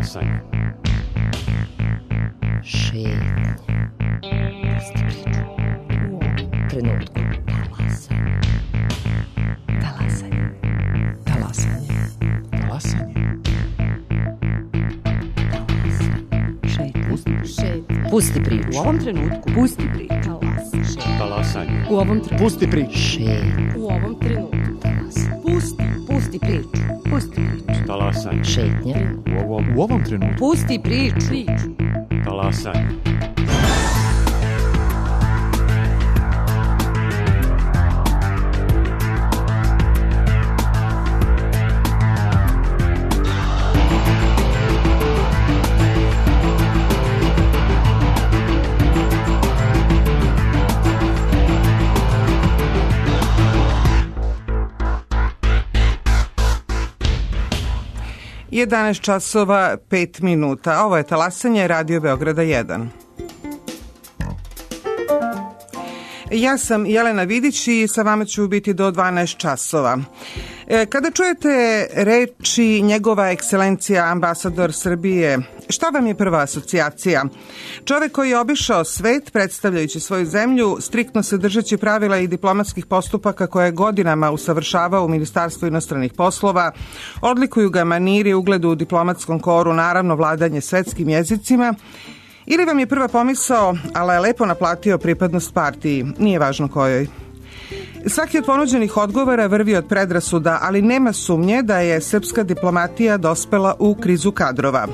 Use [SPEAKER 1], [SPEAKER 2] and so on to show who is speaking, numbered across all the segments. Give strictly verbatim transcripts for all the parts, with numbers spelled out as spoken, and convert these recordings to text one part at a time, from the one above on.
[SPEAKER 1] Talasanje.
[SPEAKER 2] Šetnja. Pusti priču. U ovom trenutku. Talasanje. Talasanje. Talasanje.
[SPEAKER 3] Talasanje.
[SPEAKER 2] Šetnja.
[SPEAKER 3] Pusti priču.
[SPEAKER 2] Šetnja. Pusti priču.
[SPEAKER 4] U ovom trenutku.
[SPEAKER 2] Pusti priču. Talasanje.
[SPEAKER 1] Talasanje.
[SPEAKER 4] U ovom trenutku.
[SPEAKER 3] Pusti priču.
[SPEAKER 2] Šetnja.
[SPEAKER 4] U ovom trenutku.
[SPEAKER 2] Talasanje.
[SPEAKER 4] Pusti. Pusti priču. Pusti priču.
[SPEAKER 1] Talasanje.
[SPEAKER 2] Šetnja.
[SPEAKER 3] U ovom, u ovom trenutku.
[SPEAKER 4] Pusti priču. Priču.
[SPEAKER 1] Talasanje.
[SPEAKER 5] jedanaest časova pet minuta. Ovo je Talasanje, Radio Beograda jedan. Ja sam Jelena Vidić i sa vama ću biti do dvanaest časova. Kada čujete reči njegova ekscelencija ambasador Srbije, šta vam je prva asocijacija? Čovek koji je obišao svet predstavljajući svoju zemlju, striktno se držeći pravila i diplomatskih postupaka koje je godinama usavršavao u Ministarstvu inostranih poslova, odlikuju ga maniri, ugledu u diplomatskom koru, naravno vladanje svetskim jezicima, ili vam je prva pomisao, ali je lepo naplatio pripadnost partiji, nije važno kojoj. Svaki od ponuđenih odgovora vrvi od predrasuda, ali nema sumnje da je srpska diplomatija dospela u krizu kadrova.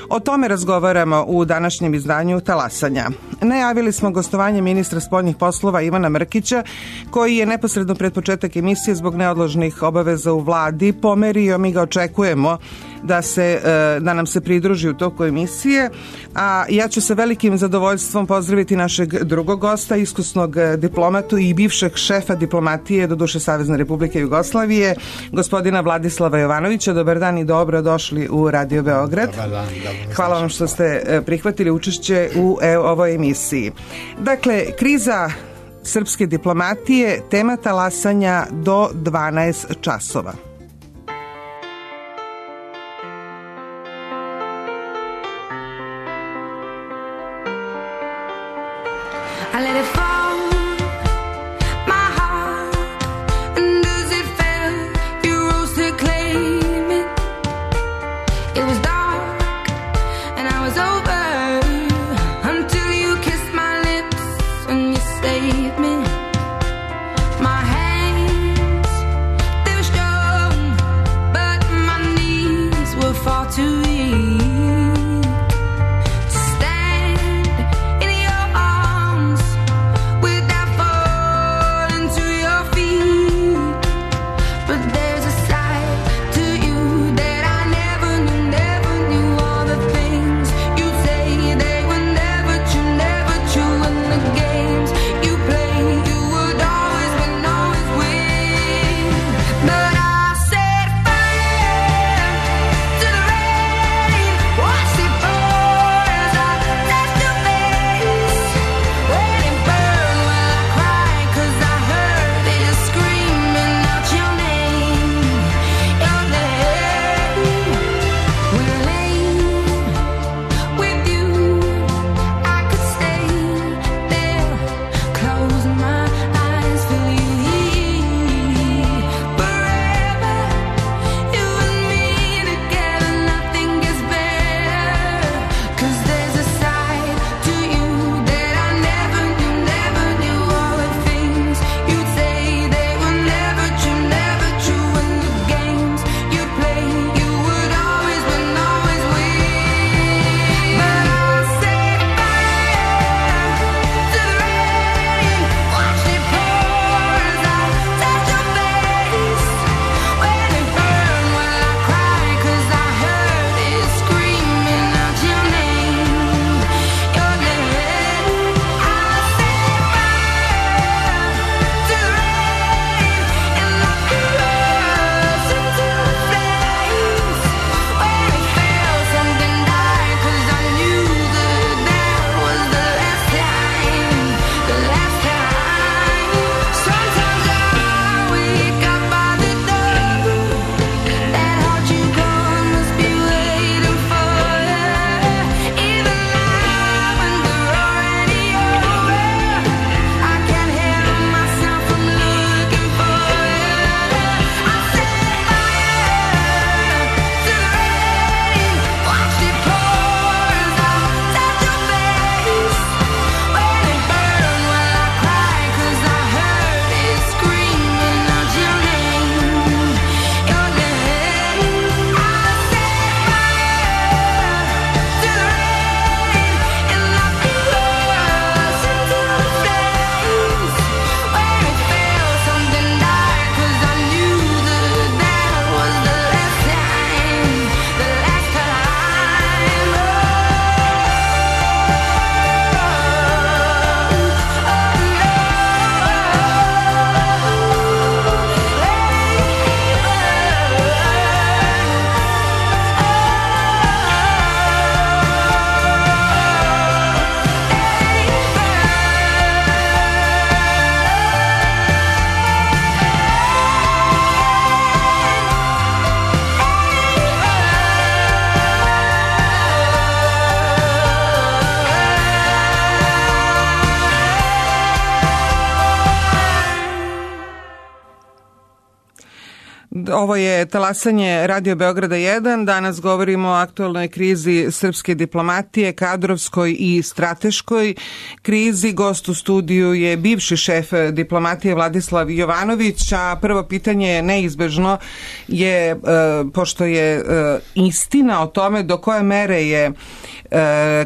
[SPEAKER 5] O tome razgovaramo u današnjem izdanju Talasanja. Najavili smo gostovanje ministra spoljnih poslova Ivana Mrkića, koji je neposredno pred početak emisije zbog neodložnih obaveza u vladi pomerio, mi ga očekujemo da, se, da nam se pridruži u toku emisije, a ja ću sa velikim zadovoljstvom pozdraviti našeg drugog gosta, iskusnog diplomatu i bivšeg šefa diplomatije, doduše Savezne Republike Jugoslavije, gospodina Vladislava Jovanovića. Dobar dan i dobro došli u Radio Beograd.
[SPEAKER 3] Dobar dan, dobro.
[SPEAKER 5] Hvala vam što ste prihvatili učešće u ovoj emisiji. Dakle, kriza srpske diplomatije, tema Talasanja do dvanaest časova.
[SPEAKER 6] My hands, they were strong.
[SPEAKER 5] Ovo je talasanje Radio Beograda jedan. Danas govorimo o aktualnoj krizi srpske diplomatije, kadrovskoj i strateškoj krizi. Gost u studiju je bivši šef diplomatije Vladislav Jovanović, a prvo pitanje je neizbežno je, pošto je istina o tome do koje mere je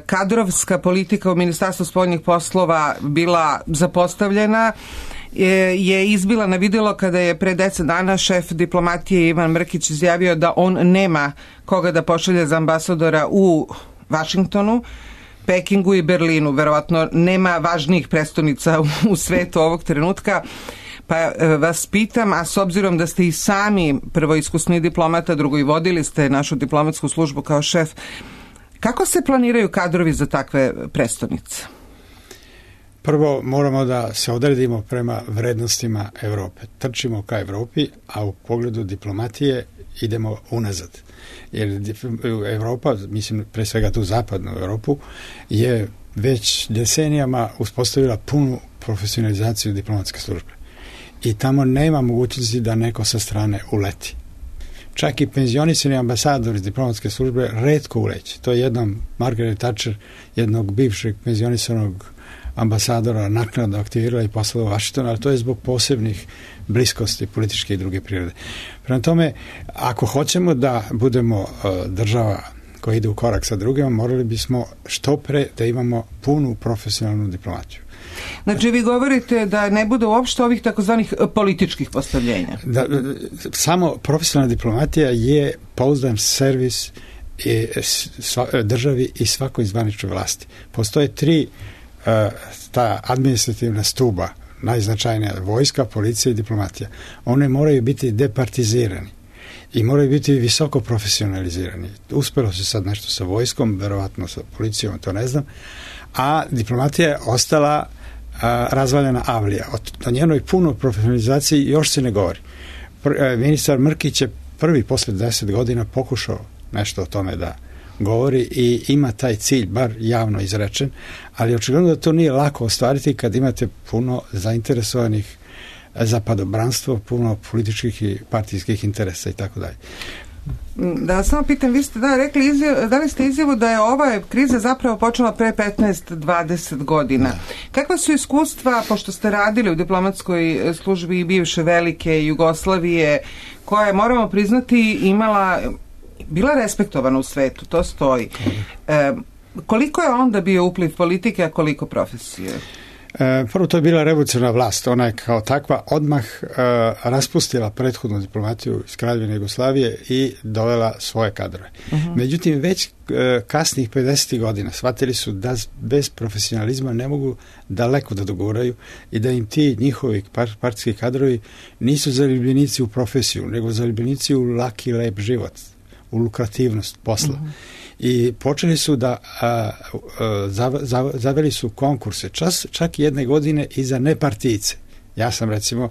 [SPEAKER 5] kadrovska politika u Ministarstvu spoljnih poslova bila zapostavljena, je izbila na vidjelo kada je pre deset dana šef diplomatije Ivan Mrkić izjavio da on nema koga da pošalje za ambasadora u Vašingtonu, Pekingu i Berlinu. Verovatno nema važnijih prestonica u svetu ovog trenutka. Pa vas pitam, a s obzirom da ste i sami prvo iskusni diplomata, drugo i vodili ste našu diplomatsku službu kao šef, kako se planiraju kadrovi za takve prestonice?
[SPEAKER 1] Prvo moramo da se odredimo prema vrednostima Evrope. Trčimo ka Evropi, a u pogledu diplomatije idemo unazad. Jer Evropa, mislim pre svega tu zapadnu Evropu, je već decenijama uspostavila punu profesionalizaciju diplomatske službe. I tamo nema mogućnosti da neko sa strane uleti. Čak i penzionisani ambasador iz diplomatske službe retko uleće. To je jednom Margaret Thatcher, jednog bivšeg penzionisanog ambasadora naknadno aktivirala i poslala u Washington, ali to je zbog posebnih bliskosti političke i druge prirode. Prema tome, ako hoćemo da budemo uh, država koja ide u korak sa drugima, morali bismo što pre da imamo punu profesionalnu diplomatiju.
[SPEAKER 5] Znači vi govorite da ne bude uopšte ovih takozvanih političkih postavljenja.
[SPEAKER 1] Da, samo profesionalna diplomatija je pouzdan servis i sva, državi i svakoj zvaničnoj vlasti. Postoje tri uh, ta administrativna stuba, najznačajnija vojska, policija i diplomatija. One moraju biti departizirani i moraju biti visoko profesionalizirani. Uspelo se sad nešto sa vojskom, verovatno sa policijom, to ne znam, a diplomatija je ostala a, razvaljena avlija. O, o njenoj punoj profesionalizaciji još se ne govori. Pr, a, ministar Mrkić je prvi posle deset godina pokušao nešto o tome da govori i ima taj cilj, bar javno izrečen, ali očigledno da to nije lako ostvariti kad imate puno zainteresovanih za padobranstvo, puno političkih i partijskih interesa i tako dalje.
[SPEAKER 5] Da vas samo pitam, vi ste da rekli izjav, dali ste izjavu da je ova kriza zapravo počela pre petnaest do dvadeset godina. Da. Kakva su iskustva, pošto ste radili u diplomatskoj službi bivše velike Jugoslavije, koja je, moramo priznati, imala, bila respektovana u svetu, to stoji. E, koliko je onda bio upliv politike, a koliko profesije?
[SPEAKER 1] E, prvo, to je bila revolucionarna vlast. Ona je kao takva odmah e, raspustila prethodnu diplomatiju iz Kraljevine Jugoslavije i dovela svoje kadrove. Uh-huh. Međutim, već e, kasnih pedesetih godina shvatili su da bez profesionalizma ne mogu daleko da doguraju i da im ti njihovi par, partijski kadrovi nisu zaljubljenici u profesiju, nego zaljubljenici u laki, lep život, u lukrativnost posla. Uh-huh. I počeli su da a, a, zav, zav, zaveli su konkurse čas, čak jedne godine i za nepartijice. Ja sam recimo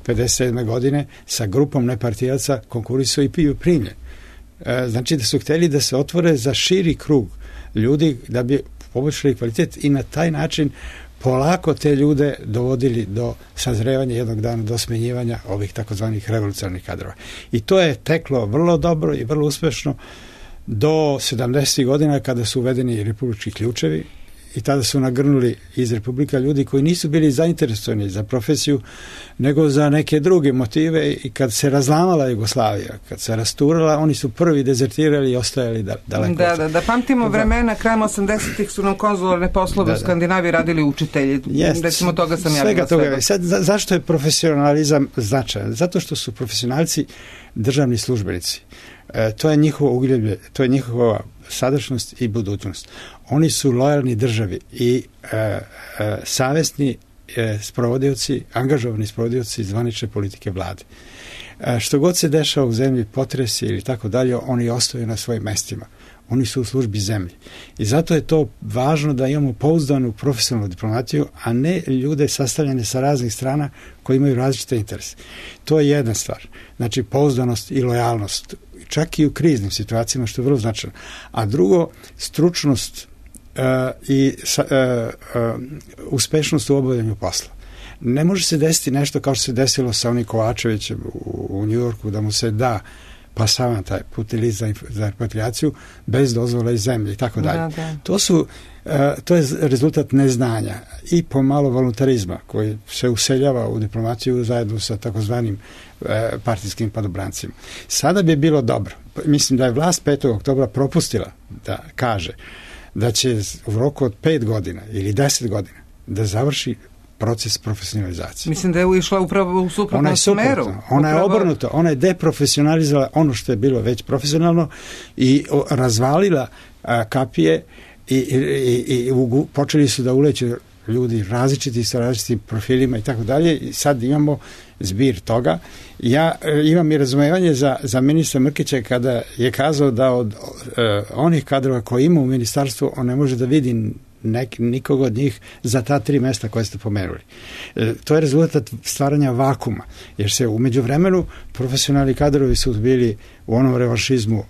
[SPEAKER 1] pedeset sedme godine sa grupom nepartijaca konkurisao i piju primljen. E, znači da su hteli da se otvore za širi krug ljudi da bi poboljšali kvalitet i na taj način polako te ljude dovodili do sazrevanja jednog dana, do smenjivanja ovih takozvanih revolucionarnih kadrova. I to je teklo vrlo dobro i vrlo uspešno do sedamdesetih godina kada su uvedeni republički ključevi i tada su nagrnuli iz republika ljudi koji nisu bili zainteresovani za profesiju nego za neke druge motive i kad se razlamala Jugoslavija, kad se rasturala, oni su prvi dezertirali i ostajali da, daleko.
[SPEAKER 5] Da, da, da pamtimo vremena, krajem osamdesetih su nam konzularne poslove da, u Skandinaviji radili učitelji. Jest, recimo toga sam ja bila
[SPEAKER 1] toga. Sad, za, zašto je profesionalizam značajan? Zato što su profesionalci državni službenici. E, to je njihovo ugljeblje, to je njihova sadašnjost i budućnost. Oni su lojalni državi i e, e, savesni e, sprovodioci, angažovani sprovodioci zvanične politike vlade. E, što god se dešava u zemlji, potresi ili tako dalje, oni ostaju na svojim mestima. Oni su u službi zemlji. I zato je to važno da imamo pouzdanu profesionalnu diplomatiju, a ne ljude sastavljene sa raznih strana koji imaju različite interese. To je jedna stvar. Znači, pouzdanost i lojalnost, čak i u kriznim situacijama, što je vrlo značajno. A drugo, stručnost uh, i uh, uh, uspešnost u obavljanju posla. Ne može se desiti nešto kao što se desilo sa onim Kovačevićem u, u Njujorku, da mu se da pasavan taj putni list za, za repatriaciju bez dozvole iz zemlje i tako dalje. To su uh, to je rezultat neznanja i pomalo voluntarizma koji se useljava u diplomaciju zajedno sa takozvanim uh, partijskim padobrancima. Sada bi bilo dobro. Mislim da je vlast petog oktobra propustila da kaže da će u roku od pet godina ili deset godina da završi proces profesionalizacije.
[SPEAKER 5] Mislim da je išla upravo u suprotnom smeru.
[SPEAKER 1] Ona je obrnuto, ona je deprofesionalizovala ono što je bilo već profesionalno i razvalila a, kapije i, i, i, i u, počeli su da uleću ljudi različiti sa različitim profilima i tako dalje i sad imamo zbir toga. Ja e, imam i razumevanje za, za ministra Mrkića kada je kazao da od e, onih kadrova koje ima u ministarstvu on ne može da vidi nek, nikog od njih za ta tri mesta koje ste pomenuli. E, to je rezultat stvaranja vakuma, jer se u međuvremenu profesionalni kadrovi su bili u onom revanšizmu e,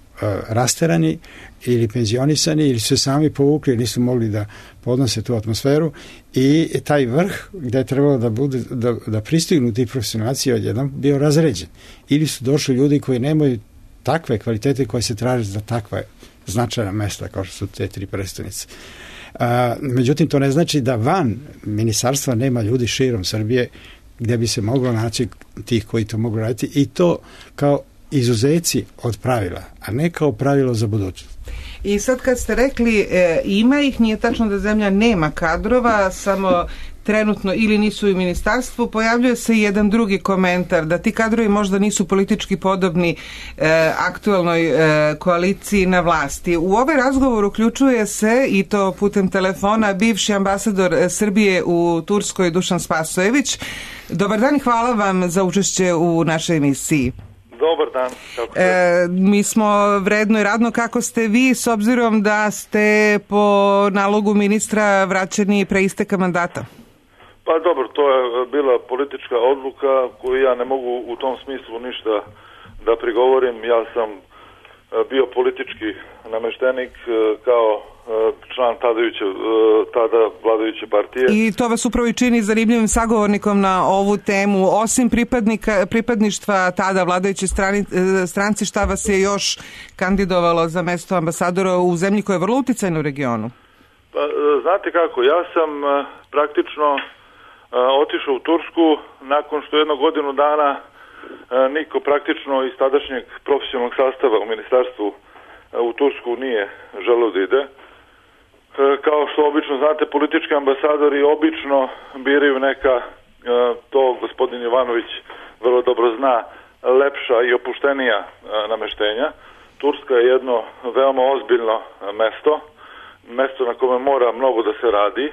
[SPEAKER 1] rasterani ili penzionisani ili su sami povukli, nisu mogli da podnose tu atmosferu i taj vrh gde je trebalo da, bude, da, da pristignu ti profesionalci odjednom bio razređen. Ili su došli ljudi koji nemaju takve kvalitete koje se traže za takva značajna mesta kao što su te tri prestonice. A, međutim, to ne znači da van ministarstva nema ljudi širom Srbije gde bi se moglo naći tih koji to mogu raditi i to kao izuzeci od pravila, a ne kao pravilo za budućnost.
[SPEAKER 5] I sad kad ste rekli e, ima ih, nije tačno da zemlja nema kadrova, samo trenutno ili nisu u ministarstvu, pojavljuje se i jedan drugi komentar, da ti kadrovi možda nisu politički podobni e, aktuelnoj e, koaliciji na vlasti. U ovaj razgovor uključuje se, i to putem telefona, bivši ambasador Srbije u Turskoj Dušan Spasojević. Dobar dan i hvala vam za učešće u našoj emisiji.
[SPEAKER 6] Dobar dan. Kako
[SPEAKER 5] e, mi smo vredno i radno. Kako ste vi, s obzirom da ste po nalogu ministra vraćeni pre isteka mandata?
[SPEAKER 6] Pa dobro, to je bila politička odluka koju ja ne mogu u tom smislu ništa da prigovorim. Ja sam bio politički nameštenik kao član tadajuće, tada vladajuće partije.
[SPEAKER 5] I to vas upravo i čini zanimljivim sagovornikom na ovu temu. Osim pripadnika, pripadništva tada vladajuće strani, stranci, šta vas je još kandidovalo za mesto ambasadora u zemlji koja je vrlo uticajna u regionu?
[SPEAKER 6] Pa, znate kako, ja sam praktično otišao u Tursku nakon što jedno godinu dana niko praktično iz tadašnjeg profesionalnog sastava u ministarstvu u Tursku nije želeo da ide. Kao što obično znate, politički ambasadori obično biraju neka, to gospodin Jovanović vrlo dobro zna, lepša i opuštenija nameštenja. Turska je jedno veoma ozbiljno mesto, mesto na kome mora mnogo da se radi.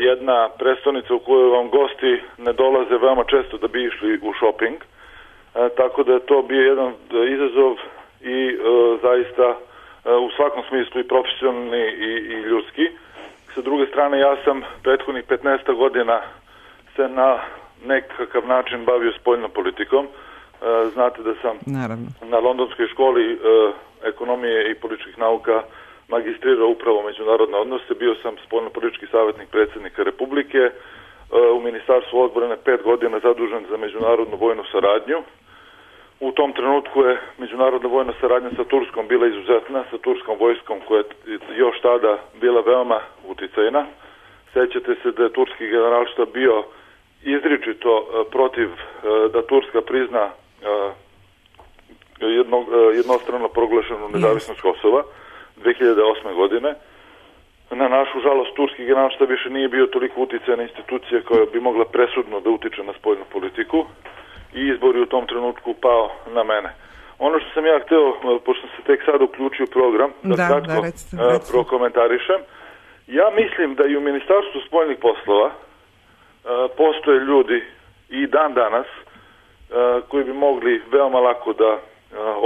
[SPEAKER 6] Jedna prestonica u kojoj vam gosti ne dolaze veoma često da bi išli u shopping, tako da je to bio jedan izazov i e, zaista e, u svakom smislu i profesionalni i, i ljudski. Sa druge strane, ja sam prethodnih petnaest godina se na nekakav način bavio spoljnom politikom. E, znate da sam
[SPEAKER 5] Naravno. na
[SPEAKER 6] Londonskoj školi e, ekonomije i političkih nauka magistrirao upravo međunarodne odnose, bio sam spoljno-politički savjetnik predsjednika Republike, e, u Ministarstvu odbrane pet godina zadužen za međunarodnu vojnu saradnju. U tom trenutku je međunarodna vojna saradnja sa Turskom bila izuzetna, sa turskom vojskom koja je još tada bila veoma uticajna. Sećate se da je turski generalštab bio izričito e, protiv e, da Turska prizna e, jedno, e, jednostrano proglašenu nezavisnost Kosova dve hiljade osme. godine. Na našu žalost, turski generalštab više nije bio toliko uticajna institucija koja bi mogla presudno da utiče na spoljnu politiku i izbor je u tom trenutku pao na mene. Ono što sam ja hteo, pošto sam se tek sada uključio u program, da, da kratko da, recite, recite. prokomentarišem, ja mislim da i u Ministarstvu spoljnih poslova a, postoje ljudi i dan danas a, koji bi mogli veoma lako da a,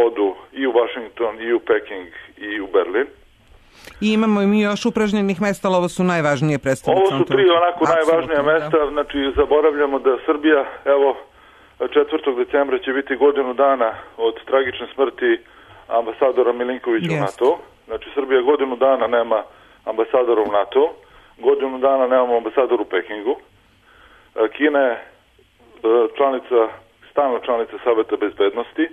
[SPEAKER 6] odu i u Washington, i u Peking, i u Berlin.
[SPEAKER 5] I imamo i mi još upražnjenih mesta, ali ovo su najvažnije predstavnice.
[SPEAKER 6] Ovo su tri onako Absolutno, najvažnija mesta, da. Znači zaboravljamo da Srbija, evo, četvrtog decembra će biti godinu dana od tragične smrti ambasadora Milinkovića yes. u NATO. Znači Srbija godinu dana nema ambasadora u NATO, godinu dana nemamo ambasadora u Pekingu. Kina je članica, stalna članica Saveta bezbednosti,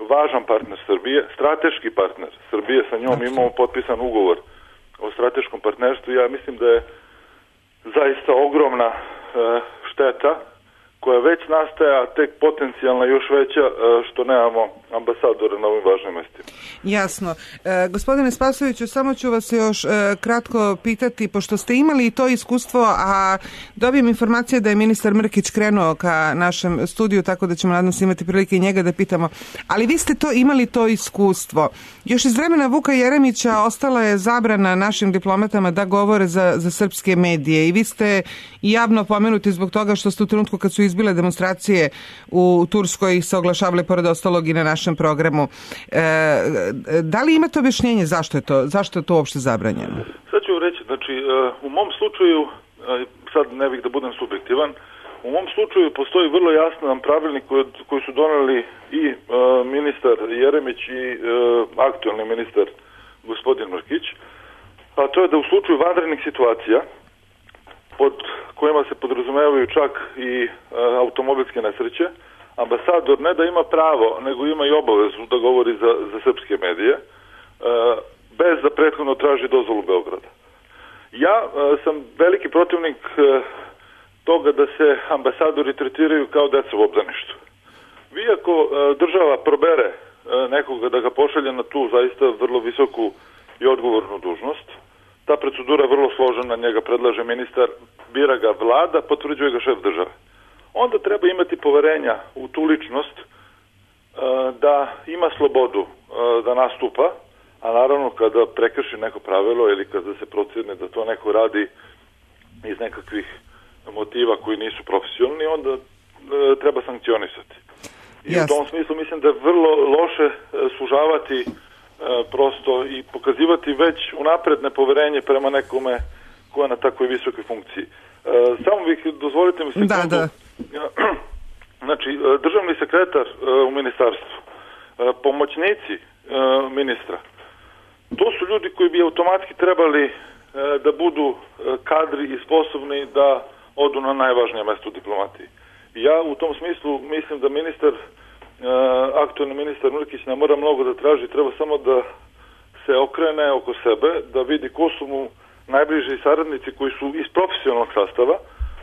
[SPEAKER 6] važan partner Srbije, strateški partner Srbije, sa njom imamo potpisan ugovor o strateškom partnerstvu. Ja mislim da je zaista ogromna šteta koja već nastaje, a tek potencijalna još veća što nemamo ambasadora na ovim važnim mestima.
[SPEAKER 5] Jasno. E, gospodine Spasojeviću, samo ću vas još e, kratko pitati, pošto ste imali i to iskustvo, a dobijem informacije da je ministar Mrkić krenuo ka našem studiju, tako da ćemo nadam se imati prilike i njega da pitamo. Ali vi ste to imali to iskustvo. Još iz vremena Vuka Jeremića ostala je zabrana našim diplomatama da govore za, za srpske medije i vi ste javno pomenuti zbog toga što ste u trenutku kad su izbile demonstracije u Turskoj se oglašavali pored ostalog i na našem programu. E, da li imate objašnjenje zašto je to, zašto je to uopšte zabranjeno?
[SPEAKER 6] Sad ću reći, znači u mom slučaju, sad ne bih da budem subjektivan, u mom slučaju postoji vrlo jasan pravilnik koji, koji su doneli i uh, ministar Jeremić i uh, aktualni ministar gospodin Mrkić, a to je da u slučaju vanrednih situacija pod kojima se podrazumevaju čak i uh, automobilske nesreće, ambasador ne da ima pravo, nego ima i obavezu da govori za, za srpske medije, uh, bez da prethodno traži dozvolu Beograda. Ja uh, sam veliki protivnik uh, toga da se ambasadori tretiraju kao deca u obdaništu. Vi ako uh, država probere uh, nekoga da ga pošalje na tu zaista vrlo visoku i odgovornu dužnost, ta procedura je vrlo složena, njega predlaže ministar, bira ga vlada, potvrđuje ga šef države. Onda treba imati poverenja u tu ličnost uh, da ima slobodu uh, da nastupa, a naravno kada prekrši neko pravilo ili kada se procjeni da to neko radi iz nekakvih motiva koji nisu profesionalni, onda uh, treba sankcionisati. I yes. U tom smislu mislim da je vrlo loše uh, sužavati uh, prosto i pokazivati već unapred nepoverenje prema nekome ko je na takvoj visokoj funkciji. Uh, samo bih, dozvolite mi sekundu. Da, da. Znači, državni sekretar uh, u ministarstvu, uh, pomoćnici uh, ministra, to su ljudi koji bi automatski trebali uh, da budu uh, kadri i sposobni da odu na najvažnije mesto u diplomatiji. Ja u tom smislu mislim da ministar, uh, aktualni ministar Mrkić ne mora mnogo da traži, treba samo da se okrene oko sebe, da vidi ko su mu najbliži saradnici koji su iz profesionalnog sastava,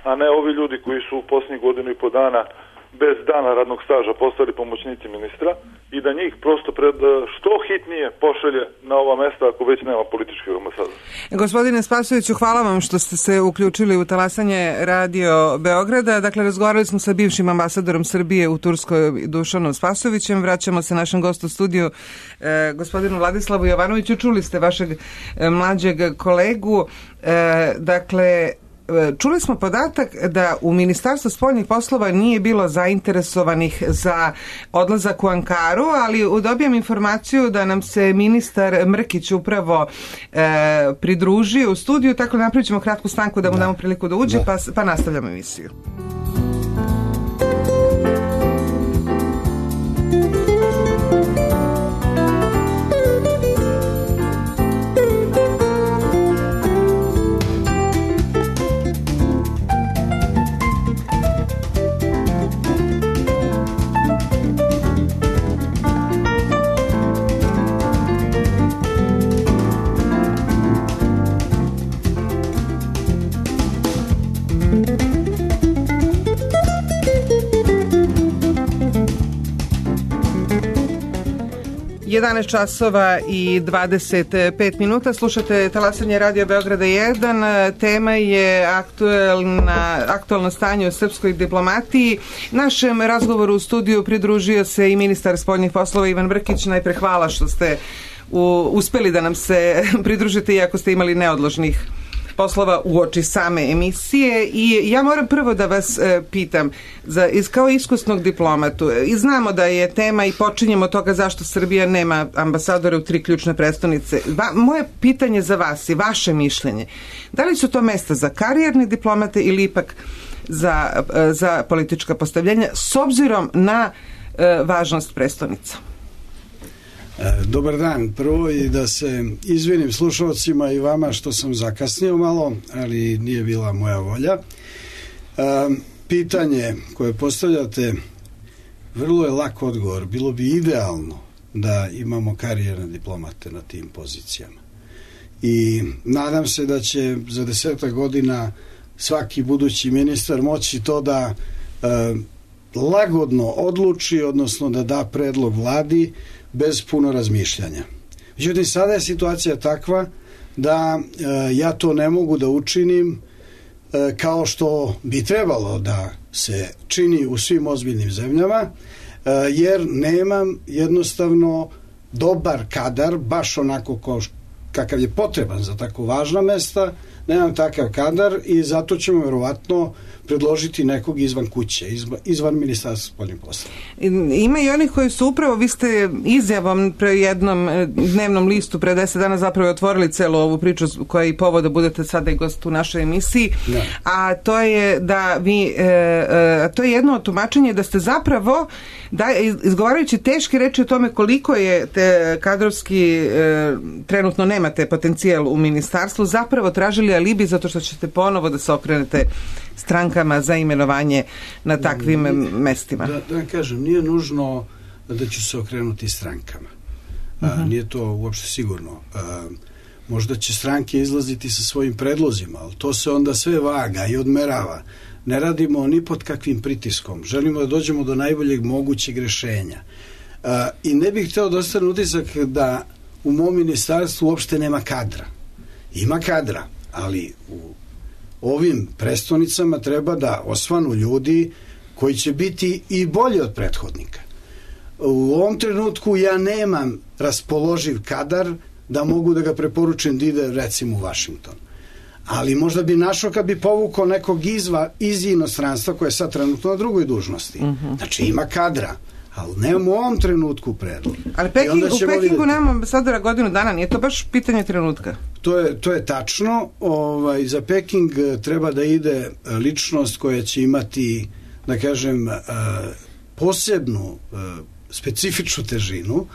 [SPEAKER 6] a ne ovi ljudi koji su u posljednjih godinu i po dana bez dana radnog staža postali pomoćnici ministra i da njih prosto pred što hitnije pošalje na ova mesta ako već nema političkih ambasadora.
[SPEAKER 5] Gospodine Spasojeviću, hvala vam što ste se uključili u talasanje Radio Beograda. Dakle, razgovarali smo sa bivšim ambasadorom Srbije u Turskoj Dušanom Spasojevićem. Vraćamo se našem gostu u studiju, eh, gospodinu Vladislavu Jovanoviću. Čuli ste vašeg eh, mlađeg kolegu. Eh, dakle, čuli smo podatak da u Ministarstvu spoljnih poslova nije bilo zainteresovanih za odlazak u Ankaru, ali dobijam informaciju da nam se ministar Mrkić upravo e, pridružio u studiju, tako da napravit ćemo kratku stanku da mu damo priliku da uđe, pa, pa nastavljamo emisiju. jedanaest časova i dvadeset pet minuta. Slušate talasanje Radio Beograda jedan. Tema je aktuelna, aktualno stanje u srpskoj diplomatiji. Našem razgovoru u studiju pridružio se i ministar spoljnih poslova Ivan Brkić. Najpre hvala što ste u, uspeli da nam se pridružite iako ste imali neodložnih poslova uoči same emisije. I ja moram prvo da vas e, pitam, za, iz, kao iskusnog diplomatu, i znamo da je tema i počinjemo od toga zašto Srbija nema ambasadore u tri ključne prestonice. Va, moje pitanje za vas i vaše mišljenje, da li su to mesta za karijerne diplomate ili ipak za, e, za politička postavljenja s obzirom na e, važnost prestonica?
[SPEAKER 1] Dobar dan. Prvo i da se izvinim slušalcima i vama što sam zakasnio malo, ali nije bila moja volja.
[SPEAKER 7] pitanje koje postavljate, vrlo je lak odgovor. Bilo bi idealno da imamo karijerne diplomate na tim pozicijama. I nadam se da će za desetak godina svaki budući ministar moći to da e, lagodno odluči, odnosno da da predlog vladi bez puno razmišljanja. Međutim, sada je situacija takva da e, ja to ne mogu da učinim e, kao što bi trebalo da se čini u svim ozbiljnim zemljama, e, jer nemam jednostavno dobar kadar, baš onako kao kakav je potreban za tako važna mesta, nemam takav kadar i zato ćemo verovatno predložiti nekog izvan kuće, izvan, izvan ministarstva spoljnih poslova.
[SPEAKER 5] Ima i onih koji su upravo, vi ste izjavom pre jednom dnevnom listu pre deset dana zapravo otvorili celu ovu priču koja je i povod da budete sada i gost u našoj emisiji, ne. a to je da vi, e, e, to je jedno od tumačenja da ste zapravo, da, izgovarajući teške reči o tome koliko je te kadrovski e, trenutno nemate potencijal u ministarstvu, zapravo tražili alibi zato što ćete ponovo da se okrenete strankama za imenovanje na takvim nije, mestima.
[SPEAKER 7] Da, da kažem, nije nužno da ću se okrenuti strankama. Uh-huh. A, nije to uopšte sigurno. A, možda će stranke izlaziti sa svojim predlozima, ali to se onda sve vaga i odmerava. Ne radimo ni pod kakvim pritiskom. Želimo da dođemo do najboljeg mogućeg rešenja. A, I ne bih hteo da ostane utisak da u mom ministarstvu uopšte nema kadra. Ima kadra, ali u ovim prestonicama treba da osvanu ljudi koji će biti i bolji od prethodnika. U ovom trenutku ja nemam raspoloživ kadar da mogu da ga preporučim da ide recimo u Vašington. Ali možda bi našao kad bi povukao nekog izva, iz inostranstva koje je sad trenutno na drugoj dužnosti. Uh-huh. Znači ima kadra, ali nemamo u ovom trenutku predlog.
[SPEAKER 5] Ali Peking, u Pekingu vidjeti... nemamo ambasadora godinu dana, nije to baš pitanje trenutka?
[SPEAKER 7] To je, to je tačno. Ovaj, za Peking treba da ide ličnost koja će imati, da kažem, posebnu, specifičnu težinu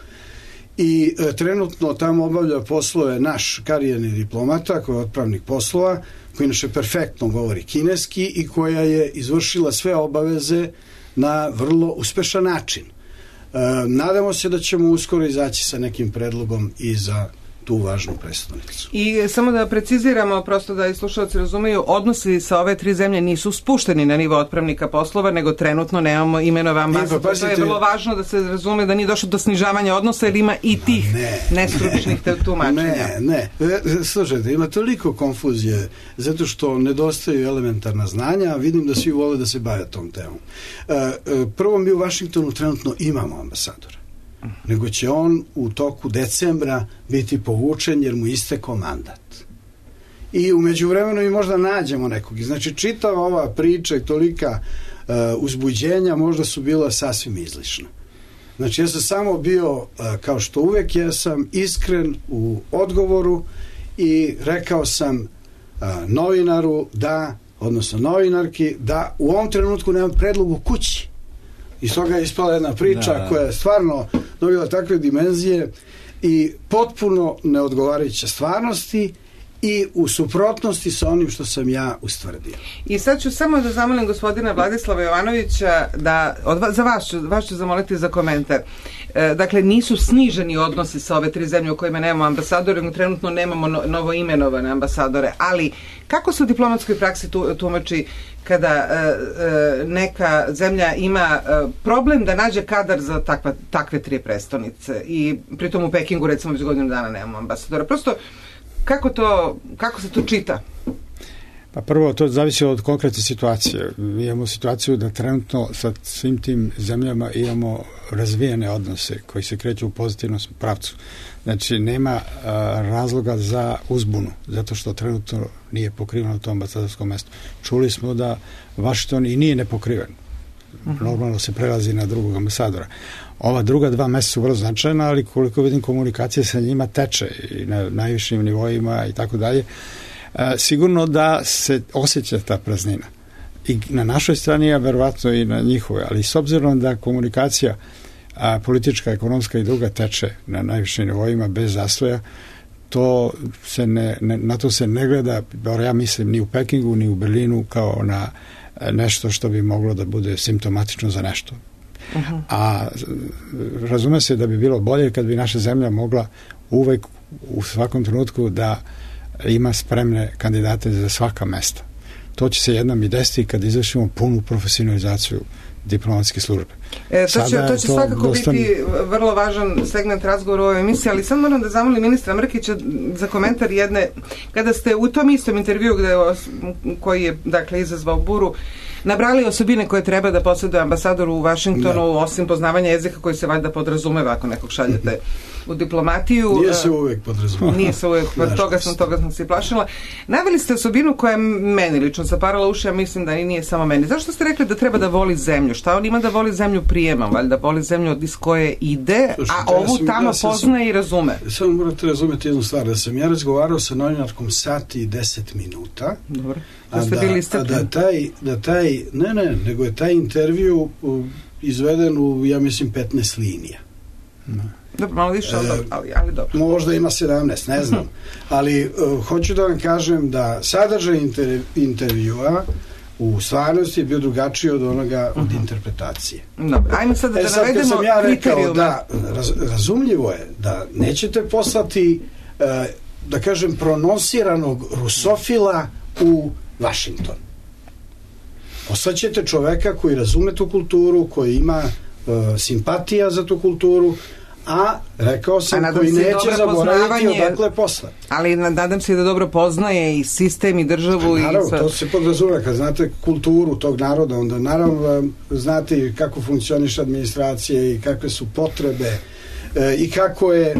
[SPEAKER 7] i trenutno tamo obavlja poslove naš karijerni diplomata koji je otpravnik poslova, koji inače perfektno govori kineski i koja je izvršila sve obaveze na vrlo uspešan način. E, nadamo se da ćemo uskoro izaći sa nekim predlogom i za tu važnu prestonicu.
[SPEAKER 5] I samo da preciziramo, prosto da i slušalci razumeju, odnosi sa ove tri zemlje nisu spušteni na nivo otpravnika poslova, nego trenutno nemamo imenova ambasadora. Pa, to je vrlo važno da se razume da nije došlo do snižavanja odnosa, jer ima i tih ne, nestručnih ne, tumačenja.
[SPEAKER 7] Ne, ne. Slušajte, ima toliko konfuzije, zato što nedostaju elementarna znanja, a vidim da svi vole da se bave tom temom. Prvo, mi u Vašingtonu trenutno imamo ambasadora, nego će on u toku decembra biti povučen jer mu istekao mandat. I u međuvremenu i možda nađemo nekog. Znači, čitava ova priča i tolika uh, uzbuđenja možda su bila sasvim izlišna. Znači, ja sam samo bio, uh, kao što uvek, ja sam iskren u odgovoru i rekao sam uh, novinaru da, odnosno novinarki, da u ovom trenutku nemam predlog u kući. Iz toga je ispala jedna priča da. koja je stvarno dobila takve dimenzije i potpuno neodgovarajuća stvarnosti i u suprotnosti sa onim što sam ja ustvrdio.
[SPEAKER 5] I sad ću samo da zamolim gospodina Vladislava Jovanovića da, od, za vas ću, vas ću zamoliti za komentar. E, dakle, nisu sniženi odnosi sa ove tri zemlje u kojima nemamo ambasadore, nego trenutno nemamo no, novo imenovane ambasadore, ali kako se u diplomatskoj praksi tu, tumači kada e, e, neka zemlja ima e, problem da nađe kadar za takva, takve tri prestonice i pritom u Pekingu recimo već godinu dana nemamo ambasadora. Prosto Kako to, kako se to čita?
[SPEAKER 1] Pa prvo, to zavisi od konkretne situacije. Mi imamo situaciju da trenutno sa svim tim zemljama imamo razvijene odnose koji se kreću u pozitivnom pravcu. Znači, nema a, razloga za uzbunu, zato što trenutno nije pokriveno to ambasadorsko mesto. Čuli smo da Washington i nije nepokriven. Uh-huh. Normalno se prelazi na drugog ambasadora. Ova druga dva mesta su vrlo značajna, ali koliko vidim komunikacija sa njima teče i na najvišim nivoima i tako dalje. Sigurno da se osjeća ta praznina. I na našoj strani, a verovatno i na njihove, ali s obzirom da komunikacija a, politička, ekonomska i druga teče na najvišim nivoima bez zastoja, to se ne, ne, na to se ne gleda, ja mislim, ni u Pekingu, ni u Berlinu kao na nešto što bi moglo da bude simptomatično za nešto. Uh-huh. A razume se da bi bilo bolje kad bi naša zemlja mogla uvek u svakom trenutku da ima spremne kandidate za svaka mesta. To će se jednom i desiti kad izvršimo punu profesionalizaciju diplomatske službe.
[SPEAKER 5] E, to će, to će
[SPEAKER 1] to
[SPEAKER 5] svakako
[SPEAKER 1] dostan...
[SPEAKER 5] biti vrlo važan segment razgovora u ovoj emisiji, ali sad moram da zamolim ministra Mrkića za komentar jedne, kada ste u tom istom intervju gde, koji je dakle izazvao buru, nabrali osobine koje treba da posjeduje ambasador u Vašingtonu, da. Osim poznavanja jezika koji se valjda podrazumeva ako nekog šaljete u diplomatiju.
[SPEAKER 7] Nije se uvek podrazumeva.
[SPEAKER 5] Nije se uvek, toga sam, toga sam se plašila. Naveli ste osobinu koja je meni lično zaparala uši, ja mislim da i nije samo meni. Zašto ste rekli da treba da voli zemlju? Šta on ima da voli zemlju prijema? Valjda voli zemlju iz koje ide, Slušaj, a ovu ja sam, tamo ja sam, poznaje i razume.
[SPEAKER 7] Samo morate razumeti jednu stvar, da sam ja razgovarao sa novinarkom sat i deset minuta. Dobro.
[SPEAKER 5] Da ste bili
[SPEAKER 7] istrpljeni. A da taj, da taj, ne, ne, nego je taj intervju uh, izveden u, ja mislim, petnaest linija.
[SPEAKER 5] Ne. Dobro, malo više, ali, ali, ali dobro.
[SPEAKER 7] Možda ima sedamnaest, ne znam. Ali uh, hoću da vam kažem da sadržaj inter, intervjua u stvarnosti je bio drugačiji od onoga od uh-huh. interpretacije.
[SPEAKER 5] Dobro, ajmo sad da
[SPEAKER 7] e, sad
[SPEAKER 5] navedemo
[SPEAKER 7] sam ja rekao
[SPEAKER 5] kriterijume.
[SPEAKER 7] Da, raz, razumljivo je da nećete poslati, uh, da kažem, pronosiranog rusofila u Vašington. Poslaćete čoveka koji razume tu kulturu, koji ima uh, simpatija za tu kulturu, a rekao sam a koji neće zaboraviti odakle posla.
[SPEAKER 5] Ali nadam se da dobro poznaje i sistem i državu.
[SPEAKER 7] A naravno,
[SPEAKER 5] i sve.
[SPEAKER 7] To se podrazumeva. Kad znate kulturu tog naroda, onda naravno znate kako funkcioniše administracija i kakve su potrebe e, i kako je e,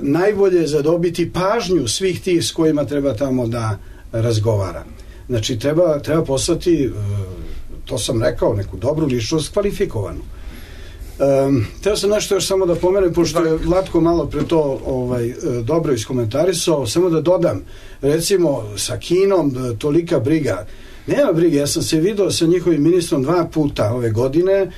[SPEAKER 7] najbolje zadobiti pažnju svih tih s kojima treba tamo da razgovara. Znači, treba, treba poslati, e, to sam rekao, neku dobru ličnost, kvalifikovanu. Um, teo sam nešto još samo da pomenem, pošto je Vlatko malo pre to ovaj, dobro iskomentarisao, samo da dodam, recimo sa Kinom tolika briga, nema brige, ja sam se vidio sa njihovim ministrom dva puta ove godine,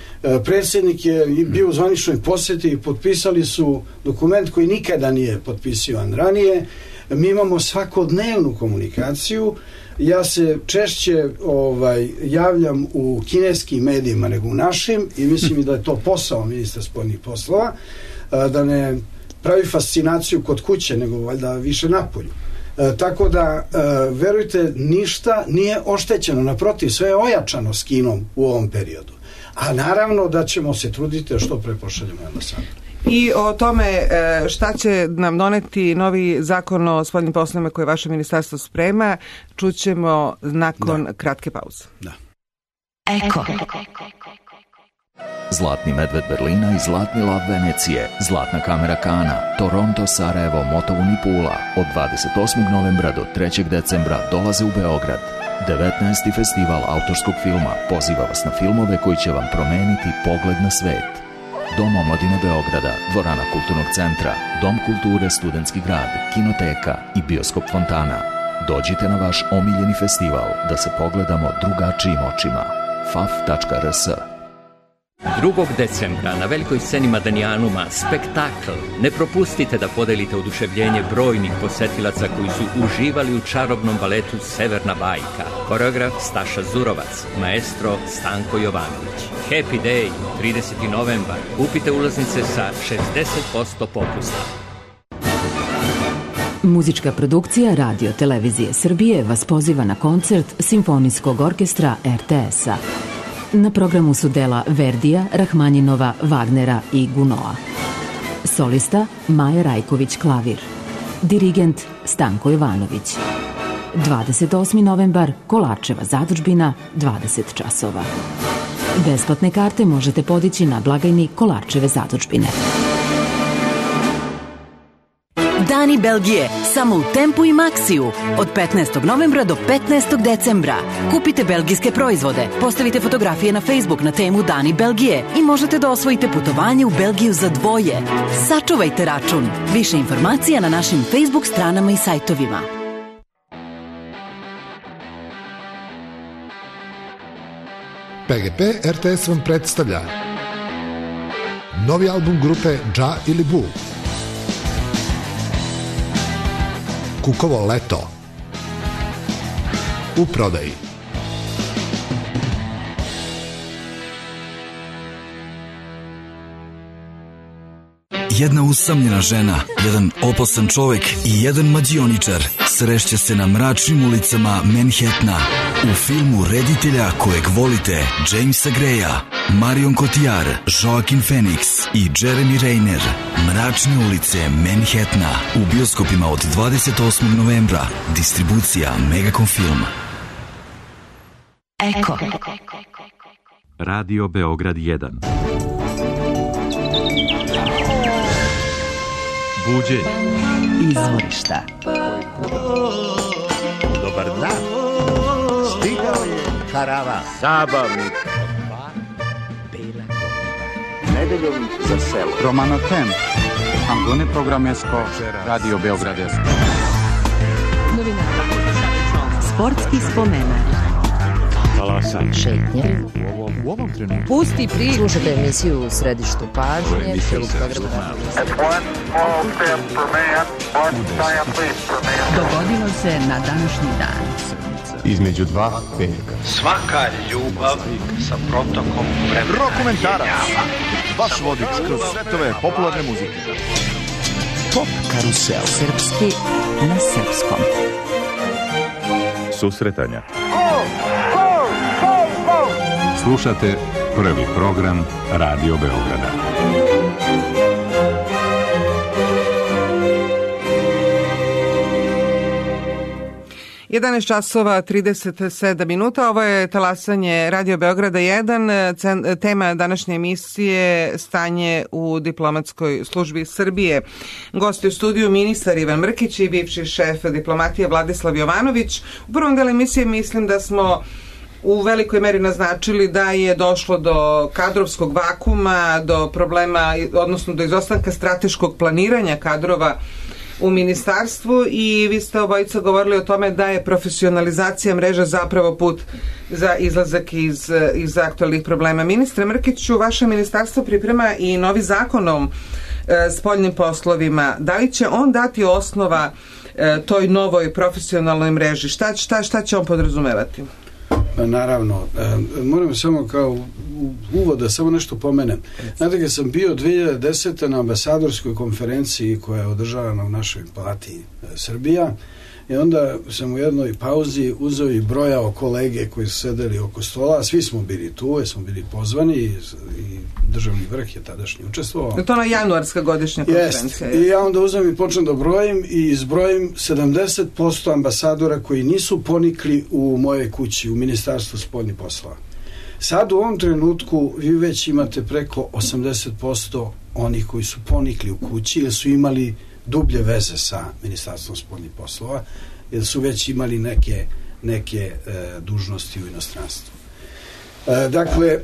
[SPEAKER 7] predsjednik je bio u zvaničnoj posjeti i potpisali su dokument koji nikada nije potpisivan ranije, mi imamo svakodnevnu komunikaciju, ja se češće ovaj, javljam u kineskim medijima nego u našim i mislim i da je to posao ministra spoljnih poslova, da ne pravi fascinaciju kod kuće, nego valjda više napolju. E, tako da, e, verujte, ništa nije oštećeno, naprotiv, sve je ojačano s Kinom u ovom periodu. A naravno da ćemo se truditi da što pre pošaljemo ambasadu.
[SPEAKER 5] I o tome šta će nam doneti novi zakon o spoljnim poslovima koje vaše ministarstvo sprema, čućemo nakon da. kratke pauze.
[SPEAKER 7] Da.
[SPEAKER 2] Eko.
[SPEAKER 8] Zlatni medved Berlina i Zlatni lav Venecije, Zlatna kamera Kana, Toronto, Sarajevo, Motovun i Pula od dvadeset osmog novembra do trećeg decembra dolaze u Beograd. devetnaesti festival autorskog filma poziva vas na filmove koji će vam promeniti pogled na svet. Dom omladine Beograda, dvorana Kulturnog centra, Dom kulture Studentski grad, Kinoteka i Bioskop Fontana. Dođite na vaš omiljeni festival da se pogledamo drugačijim očima. f a f tačka r s.
[SPEAKER 9] drugog decembra na velikoj sceni Madanijanuma spektakl. Ne propustite da podelite oduševljenje brojnih posetilaca koji su uživali u čarobnom baletu Severna bajka. Koreograf Staša Zurovac, maestro Stanko Jovanović. Happy Day, trideseti novembar. Kupite ulaznice sa šezdeset posto popusta.
[SPEAKER 2] Muzička produkcija Radio Televizije Srbije vas poziva na koncert Simfonijskog orkestra er te es-a. Na programu su dela Verdija, Rahmanjinova, Wagnera i Gunoa. Solista Maja Rajković klavir. Dirigent Stanko Jovanović. dvadeset osmi novembar, Kolarčeva zadužbina, dvadeset časova. Besplatne karte možete podići na blagajni Kolarčeve zadužbine.
[SPEAKER 10] Dani Belgije, samo u Tempu i Maxiju. Od petnaestog novembra do petnaestog decembra. Kupite belgijske proizvode, postavite fotografije na Facebook na temu Dani Belgije i možete da osvojite putovanje u Belgiju za dvoje. Sačuvajte račun. Više informacija na našim Facebook stranama i sajtovima.
[SPEAKER 11] P G P er te es vam predstavlja novi album grupe Dža ili Bu, Kukovo leto, u prodaji.
[SPEAKER 12] Jedna usamljena žena, jedan opasan čovek i jedan mađioničar srešće se na mračnim ulicama Manhattana u filmu reditelja kojeg volite Jamesa Greya, Marion Cotillard, Joaquin Phoenix i Jeremy Renner. Mračne ulice Manhattana u bioskopima od dvadeset osmog novembra. Distribucija Megacom Film.
[SPEAKER 10] Eko.
[SPEAKER 13] Radio Beograd jedan.
[SPEAKER 3] Buđenje.
[SPEAKER 10] Izvorišta.
[SPEAKER 14] Dobar dan. Stigao je karavan. Zabavnik. Nedeljom za selo.
[SPEAKER 3] Romano Ten. Angone Programesko. Radio Beograd jedan.
[SPEAKER 4] Novina.
[SPEAKER 10] Sportski spomenak.
[SPEAKER 3] Talasan.
[SPEAKER 4] Šetnje.
[SPEAKER 3] U ovom trenutku.
[SPEAKER 4] Pusti priču. Slušajte emisiju u središtu pažnje.
[SPEAKER 10] Dogodilo se na današnji dan.
[SPEAKER 11] Između dva petka.
[SPEAKER 14] Svaka ljubav sa protokom vremena.
[SPEAKER 3] Rokomentarac. Vaš vodič kroz svetove popularne muzike.
[SPEAKER 10] Pop karusel. Srpski na srpskom.
[SPEAKER 13] Susretanja.
[SPEAKER 11] Slušate prvi program Radio Beograda.
[SPEAKER 5] jedanaest časova trideset sedam minuta, ovo je talasanje Radio Beograda jedan, tema današnje emisije stanje u diplomatskoj službi Srbije. Gosti u studiju ministar Ivan Mrkić i bivši šef diplomatije Vladislav Jovanović. U prvom delu emisije mislim da smo u velikoj meri naznačili da je došlo do kadrovskog vakuma, do problema, odnosno do izostanka strateškog planiranja kadrova u ministarstvu i vi ste obojica govorili o tome da je profesionalizacija mreža zapravo put za izlazak iz, iz aktualnih problema. Ministre Mrkiću, vaše ministarstvo priprema i novi zakon o e, spoljnim poslovima. Da li će on dati osnova e, toj novoj profesionalnoj mreži? Šta, šta, šta će on podrazumevati?
[SPEAKER 7] Naravno, e, moram samo kao uvod da samo nešto pomenem. Znate, kad sam bio dve hiljade desete. na ambasadorskoj konferenciji koja je održavana u našoj palati Srbija, i onda sam u jednoj pauzi uzeo i brojao kolege koji su sedeli oko stola, svi smo bili tu, jer smo bili pozvani i, i državni vrh je tadašnji učestvovao.
[SPEAKER 5] Je to ona januarska godišnja konferencija?
[SPEAKER 7] Jest. I ja onda uzem i počnem da brojim i izbrojim sedamdeset posto ambasadora koji nisu ponikli u moje kući, u Ministarstvu spoljnih poslova. Sad u ovom trenutku vi već imate preko osamdeset posto onih koji su ponikli u kući jer su imali dublje veze sa Ministarstvom spoljnih poslova, jer su već imali neke, neke e, dužnosti u inostranstvu. E, dakle, e,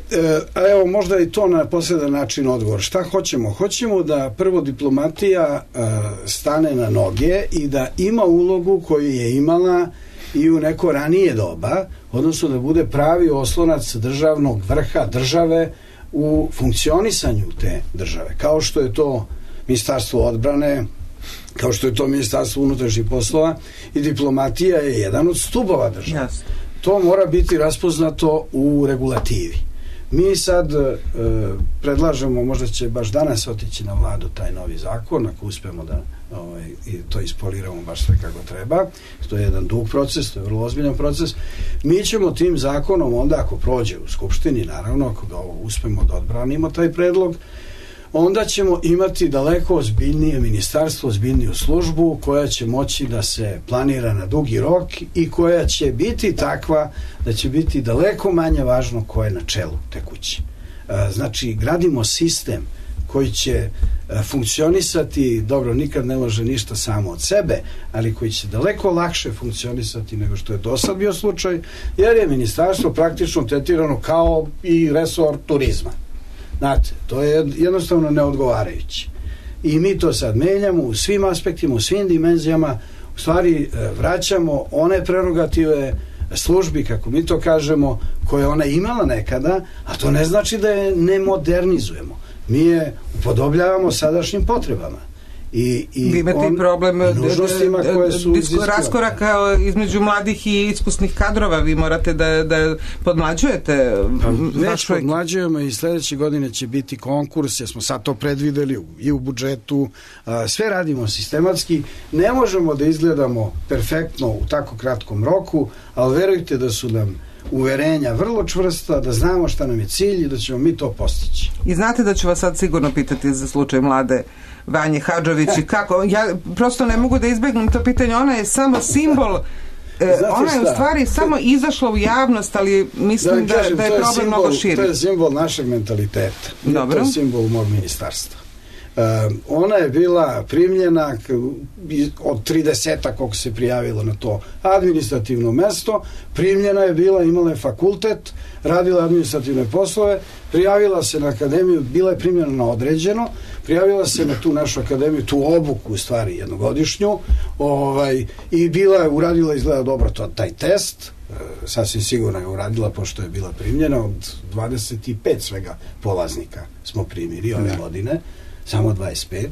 [SPEAKER 7] a evo možda i to na posledan način odgovor. Šta hoćemo? Hoćemo da prvo diplomatija e, stane na noge i da ima ulogu koju je imala i u neko ranije doba, odnosno da bude pravi oslonac državnog vrha države u funkcionisanju te države, kao što je to Ministarstvo odbrane, kao što je to Ministarstvo unutrašnjih poslova, i diplomatija je jedan od stubova države. Yes. To mora biti raspoznato u regulativi. Mi sad e, predlažemo, možda će baš danas otići na vladu taj novi zakon, ako uspemo da ovaj, i to ispoliramo baš sve kako treba. To je jedan dug proces, to je vrlo ozbiljan proces. Mi ćemo tim zakonom onda, ako prođe u Skupštini, naravno, ako ga uspemo da odbranimo taj predlog, onda ćemo imati daleko ozbiljnije ministarstvo, ozbiljniju službu koja će moći da se planira na dugi rok i koja će biti takva da će biti daleko manje važno ko je na čelu te kuće. Znači, gradimo sistem koji će funkcionisati, dobro, nikad ne može ništa samo od sebe, ali koji će daleko lakše funkcionisati nego što je do sad bio slučaj, jer je ministarstvo praktično tretirano kao i resor turizma. Znate, to je jednostavno neodgovarajuće. I mi to sad menjamo u svim aspektima, u svim dimenzijama, u stvari vraćamo one prerogative službi, kako mi to kažemo, koje ona imala nekada, a to ne znači da je ne modernizujemo. Mi je upodobljavamo sadašnjim potrebama. I, i
[SPEAKER 5] vi imate
[SPEAKER 7] on,
[SPEAKER 5] problem
[SPEAKER 7] nužnostima koje su
[SPEAKER 5] disko, raskoraka između mladih i iskusnih kadrova. Vi morate da, da podmlađujete.
[SPEAKER 7] Pa, već podmlađujemo i sledeće godine će biti konkurs, jer smo sad to predvideli i u budžetu. Sve radimo sistematski. Ne možemo da izgledamo perfektno u tako kratkom roku, ali verujte da su nam uverenja vrlo čvrsta, da znamo šta nam je cilj i da ćemo mi to postići.
[SPEAKER 5] I znate da ću vas sad sigurno pitati za slučaj mlade Vanje Hadžović i kako, ja prosto ne mogu da izbegnem to pitanje, ona je samo simbol, ona je u stvari samo izašla u javnost, ali mislim da, kažem, da je problem simbol, mnogo širi.
[SPEAKER 7] To je simbol našeg mentaliteta. Dobro. To je simbol mog ministarstva. Uh, ona je bila primljena od trideseta koliko se prijavilo na to administrativno mesto, primljena je bila, imala je fakultet, radila administrativne poslove, prijavila se na akademiju, bila je primljena na određeno, prijavila se na tu našu akademiju, tu obuku u stvari jednogodišnju, ovaj, i bila je, uradila izgleda dobro to, taj test, uh, sasvim sigurno je uradila pošto je bila primljena, od dvadeset pet svega polaznika smo primili ove godine, samo dvadeset pet.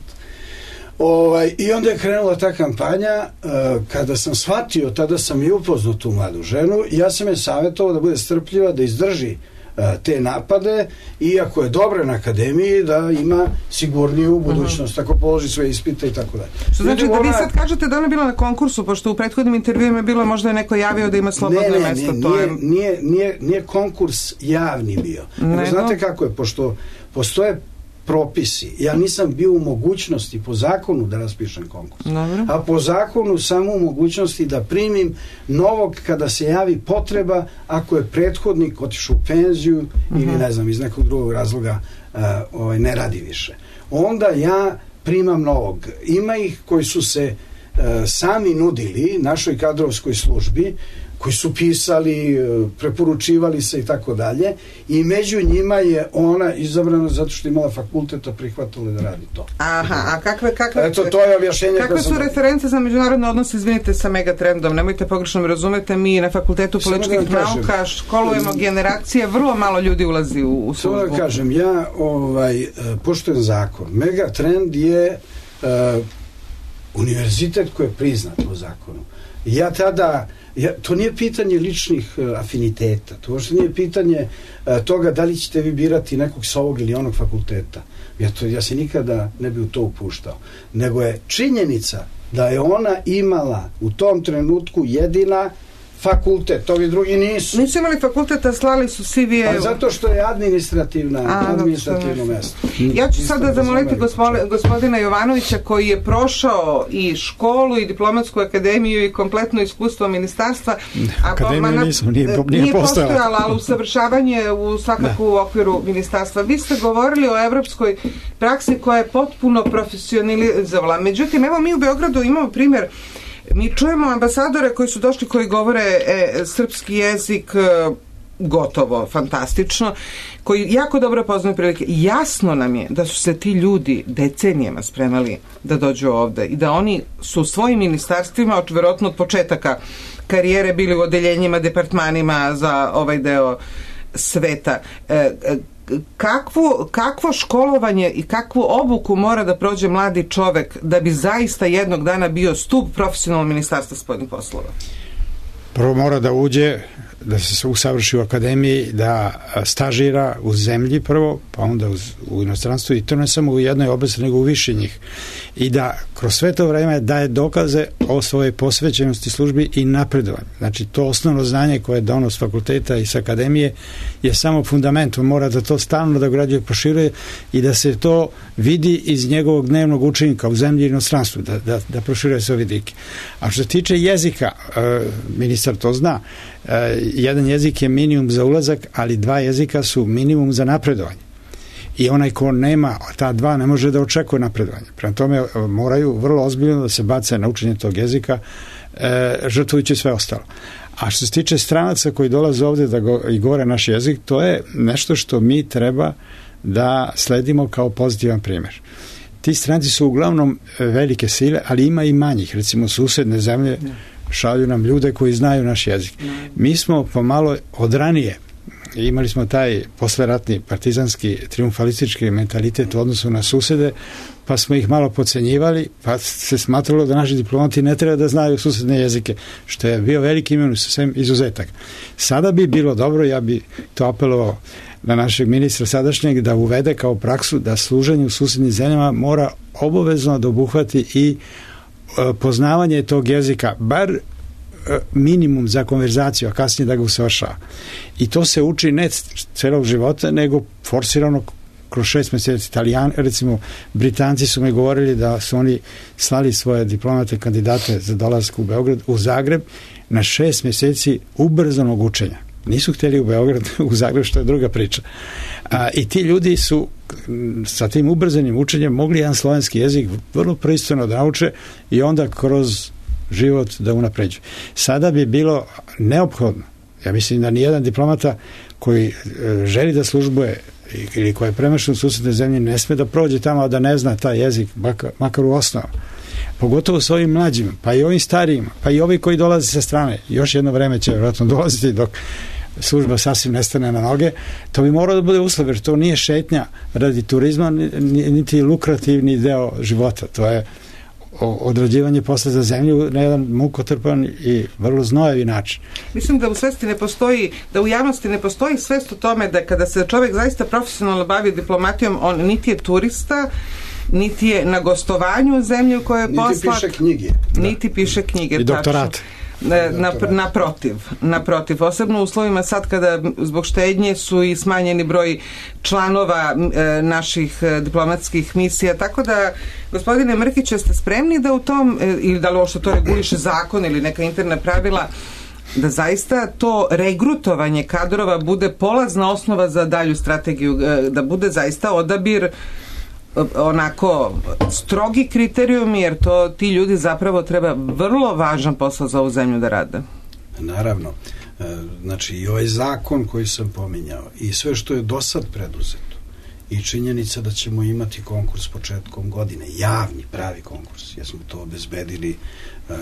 [SPEAKER 7] Ovaj, I onda je krenula ta kampanja. Uh, kada sam shvatio, tada sam i upoznao tu mladu ženu, ja sam je savjetovao da bude strpljiva, da izdrži uh, te napade, i ako je dobra na akademiji, da ima sigurniju budućnost, ako položi sve ispite i tako dalje.
[SPEAKER 5] Što znači da vi sad kažete da ona je bila na konkursu, pošto u prethodnim intervjuima je bilo, možda je neko javio da ima slobodno
[SPEAKER 7] ne, ne,
[SPEAKER 5] mesto.
[SPEAKER 7] Ne,
[SPEAKER 5] to
[SPEAKER 7] nije,
[SPEAKER 5] je...
[SPEAKER 7] nije, nije, nije konkurs javni bio. Ne, znate kako je, pošto postoje propisi. Ja nisam bio u mogućnosti po zakonu da raspišem konkurs. Dobro. A po zakonu samo u mogućnosti da primim novog kada se javi potreba, ako je prethodnik otišao u penziju uh-huh. ili ne znam, iz nekog drugog razloga uh, ovaj, ne radi više. Onda ja primam novog. Ima ih koji su se uh, sami nudili našoj kadrovskoj službi, koji su pisali, preporučivali se i tako dalje, i među njima je ona izabrana zato što je imala fakulteta, prihvatila da radi to.
[SPEAKER 5] Aha, a kakve, kakve,
[SPEAKER 7] Eto, to je objašnjenje
[SPEAKER 5] kakve su reference za međunarodne odnose, izvinite, sa Megatrendom? Nemojte pogrešno mi razumete, mi na Fakultetu političkih da nauka školujemo generacije, vrlo malo ljudi ulazi u, u službu.
[SPEAKER 7] To da kažem, ja ovaj, poštujem zakon. Megatrend je uh, univerzitet koji je priznat po zakonu. Ja tada Ja, to nije pitanje ličnih uh, afiniteta, to uopšte nije pitanje uh, toga da li ćete vi birati nekog sa ovog ili onog fakulteta. Ja, to, ja se nikada ne bi u to upuštao. Nego je činjenica da je ona imala u tom trenutku jedina fakultet, ovi drugi nisu.
[SPEAKER 5] Nisu imali fakulteta, slali su C V.
[SPEAKER 7] Pa zato što je administrativna, A, administrativno mesto.
[SPEAKER 5] Ja ću sada zamoliti gospodina Jovanovića, koji je prošao i školu i diplomatsku akademiju i kompletno iskustvo ministarstva.
[SPEAKER 1] Akademiju nisam, nije, nije,
[SPEAKER 5] nije postojala, ali usavršavanje u svakako da. U okviru ministarstva. Vi ste govorili o evropskoj praksi koja je potpuno profesionalizovala. Međutim, evo mi u Beogradu imamo primjer. Mi čujemo ambasadore koji su došli, koji govore e, srpski jezik e, gotovo, fantastično, koji jako dobro poznaju prilike. Jasno nam je da su se ti ljudi decenijama spremali da dođu ovde i da oni su u svojim ministarstvima, verovatno od početaka karijere, bili u odeljenjima, departmanima za ovaj deo sveta. E, e, Kakvo, kakvo školovanje i kakvu obuku mora da prođe mladi čovek da bi zaista jednog dana bio stup profesionalnog ministarstva spoljnih poslova?
[SPEAKER 1] Prvo mora da uđe, da se usavrši u akademiji, da stažira u zemlji prvo, pa onda u inostranstvu, i to ne samo u jednoj oblasti, nego u više njih. I da kroz sve to vreme daje dokaze o svojoj posvećenosti službi i napredovanju. Znači, to osnovno znanje koje je dono s fakulteta i s akademije je samo fundament. On mora da to stalno da građuje, proširuje i da se to vidi iz njegovog dnevnog učenika u zemlji i inostranstvu, da, da, da proširuje sve vidike. A što se tiče jezika, ministar to zna, jedan jezik je minimum za ulazak, ali dva jezika su minimum za napredovanje. I onaj ko nema ta dva ne može da očekuje napredovanje. Prema tome moraju vrlo ozbiljno da se bace na učenje tog jezika, e, žrtvujući sve ostalo. A što se tiče stranaca koji dolaze ovde da go, i govore naš jezik, to je nešto što mi treba da sledimo kao pozitivan primjer. Ti stranci su uglavnom velike sile, ali ima i manjih. Recimo, susedne zemlje šalju nam ljude koji znaju naš jezik. Mi smo pomalo od ranije imali smo taj posleratni partizanski triumfalistički mentalitet u odnosu na susede, pa smo ih malo podcenjivali, pa se smatralo da naši diplomati ne treba da znaju susedne jezike, što je bio veliki imen sem izuzetak. Sada bi bilo dobro, ja bi to apelovao na našeg ministra sadašnjeg, da uvede kao praksu da služenje u susednim zemljama mora obavezno da obuhvati i e, poznavanje tog jezika, bar e, minimum za konverzaciju, a kasnije da ga usavršava. I to se uči ne celog života, nego forsirano kroz šest meseci. Italijani, recimo, Britanci su mi govorili da su oni slali svoje diplomate kandidate za dolazak u Beograd, u Zagreb, na šest meseci ubrzanog učenja. Nisu htjeli u Beograd, u Zagreb, što je druga priča. A, i ti ljudi su sa tim ubrzanim učenjem mogli jedan slovenski jezik vrlo pristojno da nauče i onda kroz život da unapređuju. Sada bi bilo neophodno, ja mislim da nijedan diplomata koji želi da službuje ili koji je premešten u susedne zemlje ne sme da prođe tamo, a da ne zna taj jezik, makar, makar u osnovu. Pogotovo s ovim mlađima, pa i ovim starijima, pa i ovi koji dolaze sa strane. Još jedno vreme će vjerojatno dolaziti dok služba sasvim nestane na noge. To bi moralo da bude uslov, jer to nije šetnja radi turizma, niti lukrativni deo života. To je odrađivanje posla za zemlju na jedan mukotrpan i vrlo znojevi način.
[SPEAKER 5] Mislim da u svesti ne postoji, da u javnosti ne postoji svest o tome da kada se čovjek zaista profesionalno bavi diplomatijom, on niti je turista, niti je na gostovanju u zemlji u kojoj je poslat.
[SPEAKER 7] Niti piše knjige.
[SPEAKER 5] Niti piše knjige.
[SPEAKER 1] I doktorat.
[SPEAKER 5] Na, naprotiv, naprotiv. Posebno u uslovima sad kada zbog štednje su i smanjeni broj članova e, naših e, diplomatskih misija, tako da, gospodine Mrkić, ste spremni da u tom, e, ili da li ovo što to reguliše zakon ili neka interna pravila, da zaista to regrutovanje kadrova bude polazna osnova za dalju strategiju, e, da bude zaista odabir onako strogi kriterijumi, jer to ti ljudi zapravo treba vrlo važan posao za ovu zemlju da rade.
[SPEAKER 7] Naravno. Znači i ovaj zakon koji sam pominjao i sve što je do sad preduzeto i činjenica da ćemo imati konkurs početkom godine, javni, pravi konkurs, jer smo to obezbedili uh,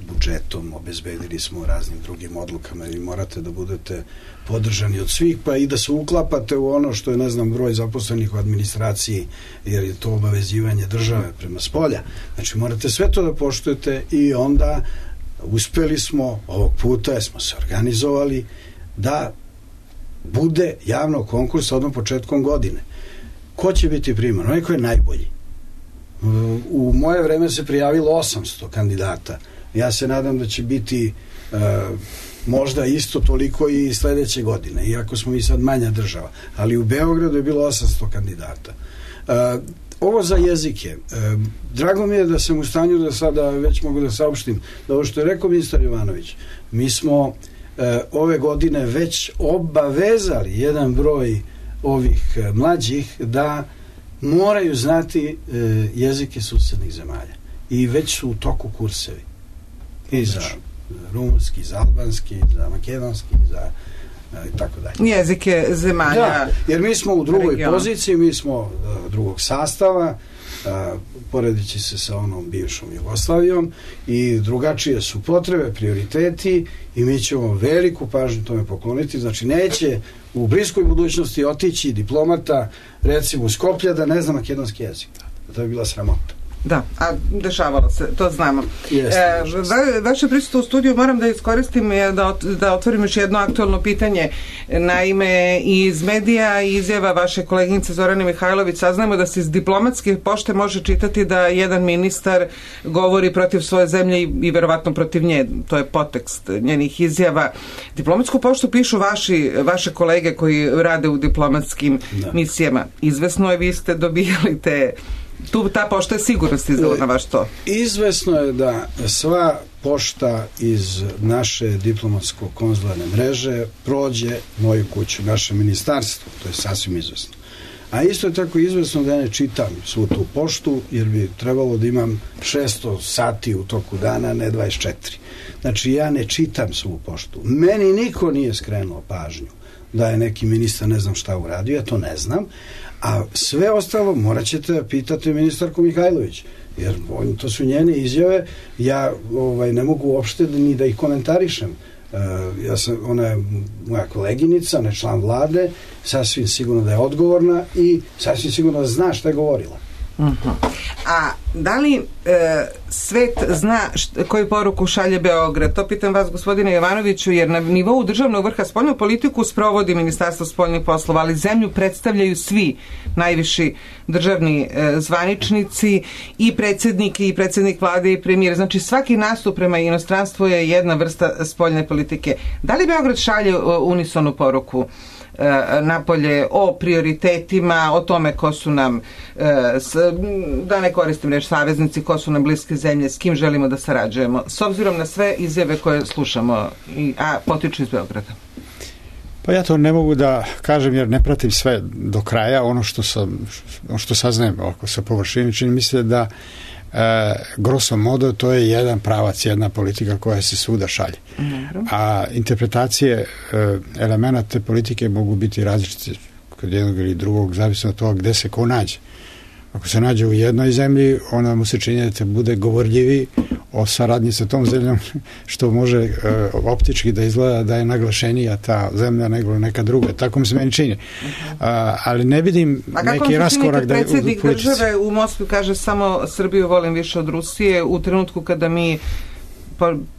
[SPEAKER 7] budžetom, obezbedili smo raznim drugim odlukama i morate da budete podržani od svih, pa i da se uklapate u ono što je, ne znam, broj zaposlenih u administraciji, jer je to obavezivanje države prema spolja. Znači morate sve to da poštujete i onda uspeli smo ovog puta, jer smo se organizovali da bude javno konkurs odmah početkom godine. Ko će biti priman? Onaj ko je najbolji. U moje vreme se prijavilo osamsto kandidata. Ja se nadam da će biti uh, možda isto toliko i sledeće godine, iako smo mi sad manja država. Ali u Beogradu je bilo osamsto kandidata. Uh, ovo za jezike. Uh, drago mi je da sam u stanju da sada već mogu da saopštim da ovo što je rekao ministar Jovanović, mi smo uh, ove godine već obavezali jedan broj ovih uh, mlađih da moraju znati uh, jezike susednih zemalja. I već su u toku kursevi. I za rumunski, za albanski, za makedonski, za i tako dalje.
[SPEAKER 5] Jezike zemalja.
[SPEAKER 7] Da, jer mi smo u drugoj
[SPEAKER 5] regiona.
[SPEAKER 7] poziciji, mi smo uh, drugog sastava, uh, poredeći se sa onom bivšom Jugoslavijom i drugačije su potrebe, prioriteti i mi ćemo veliku pažnju tome pokloniti. Znači neće u bliskoj budućnosti otići diplomata recimo u Skoplja da ne zna makedonski jezik. To je bila sramota.
[SPEAKER 5] Da, a dešavalo se, to znamo.
[SPEAKER 7] Jeste,
[SPEAKER 5] e, va, vaše prisustvo u studiju moram da iskoristim da, da otvorim još jedno aktualno pitanje. Naime, iz medija i izjava vaše koleginice Zorane Mihajlović saznajemo da se iz diplomatske pošte može čitati da jedan ministar govori protiv svoje zemlje i, i verovatno protiv nje. To je podtekst njenih izjava. Diplomatsku poštu pišu vaši, vaše kolege koji rade u diplomatskim da. misijama. Izvesno je, vi ste dobijali te... Tu ta pošta je sigurno stizala na vaš to.
[SPEAKER 7] Izvesno je da sva pošta iz naše diplomatsko-konzularne mreže prođe moju kuću, naše ministarstvo. To je sasvim izvesno. A isto je tako izvesno da ja ne čitam svu tu poštu, jer bi trebalo da imam šesto sati u toku dana, ne dvadeset četiri. Znači ja ne čitam svu poštu. Meni niko nije skrenuo pažnju da je neki ministar ne znam šta uradio, ja to ne znam. A sve ostalo morat ćete pitati ministarku Mihajlović, jer to su njene izjave, ja ovaj, ne mogu uopšte ni da ih komentarišem. ja sam, ona je moja koleginica, ne član vlade, sasvim sigurno da je odgovorna i sasvim sigurno da zna šta je govorila.
[SPEAKER 5] Uh-huh. A da li e, svet zna št, koju poruku šalje Beograd? To pitam vas, gospodine Jovanoviću, jer na nivou državnog vrha spoljnu politiku sprovodi Ministarstvo spoljnih poslova, ali zemlju predstavljaju svi najviši državni e, zvaničnici i predsjednik i predsjednik vlade i premijer. Znači svaki nastup prema inostranstvu je jedna vrsta spoljne politike. Da li Beograd šalje unisonu poruku napolje o prioritetima, o tome ko su nam, da ne koristim reč saveznici, ko su nam bliske zemlje, s kim želimo da sarađujemo, s obzirom na sve izjave koje slušamo, a potiču iz Beograda?
[SPEAKER 1] Pa ja to ne mogu da kažem jer ne pratim sve do kraja. Ono što sam, ono što saznajem oko sa površine, čini mi se da E, grosso modo to je jedan pravac, jedna politika koja se svuda šalje. A interpretacije e, elemenata te politike mogu biti različite kod jednog ili drugog, zavisno od toga gde se ko nađe. Ako se nađe u jednoj zemlji, onda mu se čini da te bude govorljivi o saradnji sa tom zemljom, što može e, optički da izgleda da je naglašenija ta zemlja nego neka druga. Tako mi se meni čini. A, ali ne vidim neki raskorak da je u politici.
[SPEAKER 5] Predsjednik države u Moskvi kaže samo Srbiju volim više od Rusije u trenutku kada mi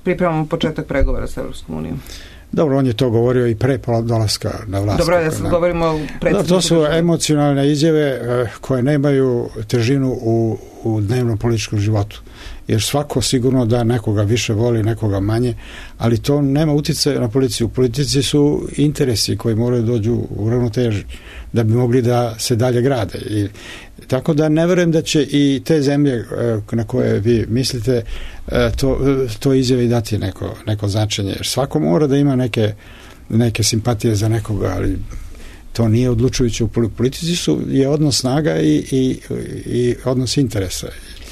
[SPEAKER 5] pripremamo početak pregovora sa Evropskom unijom.
[SPEAKER 1] Dobro, on je to govorio i pre dolaska na vlast.
[SPEAKER 5] Dobro, ja sad govorimo o predsjedniku.
[SPEAKER 1] To su emocionalne izjave koje nemaju težinu u, u dnevnom političkom životu. Jer svako sigurno da nekoga više voli, nekoga manje, ali to nema uticaja na policiju. U politici su interesi koji moraju dođu u ravnoteži da bi mogli da se dalje grade. I, tako da ne verujem da će i te zemlje na koje vi mislite to, to izjave i dati neko, neko značenje. Jer svako mora da ima neke, neke simpatije za nekoga, ali to nije odlučujuće u politici, su, je odnos snaga i, i, i odnos interesa.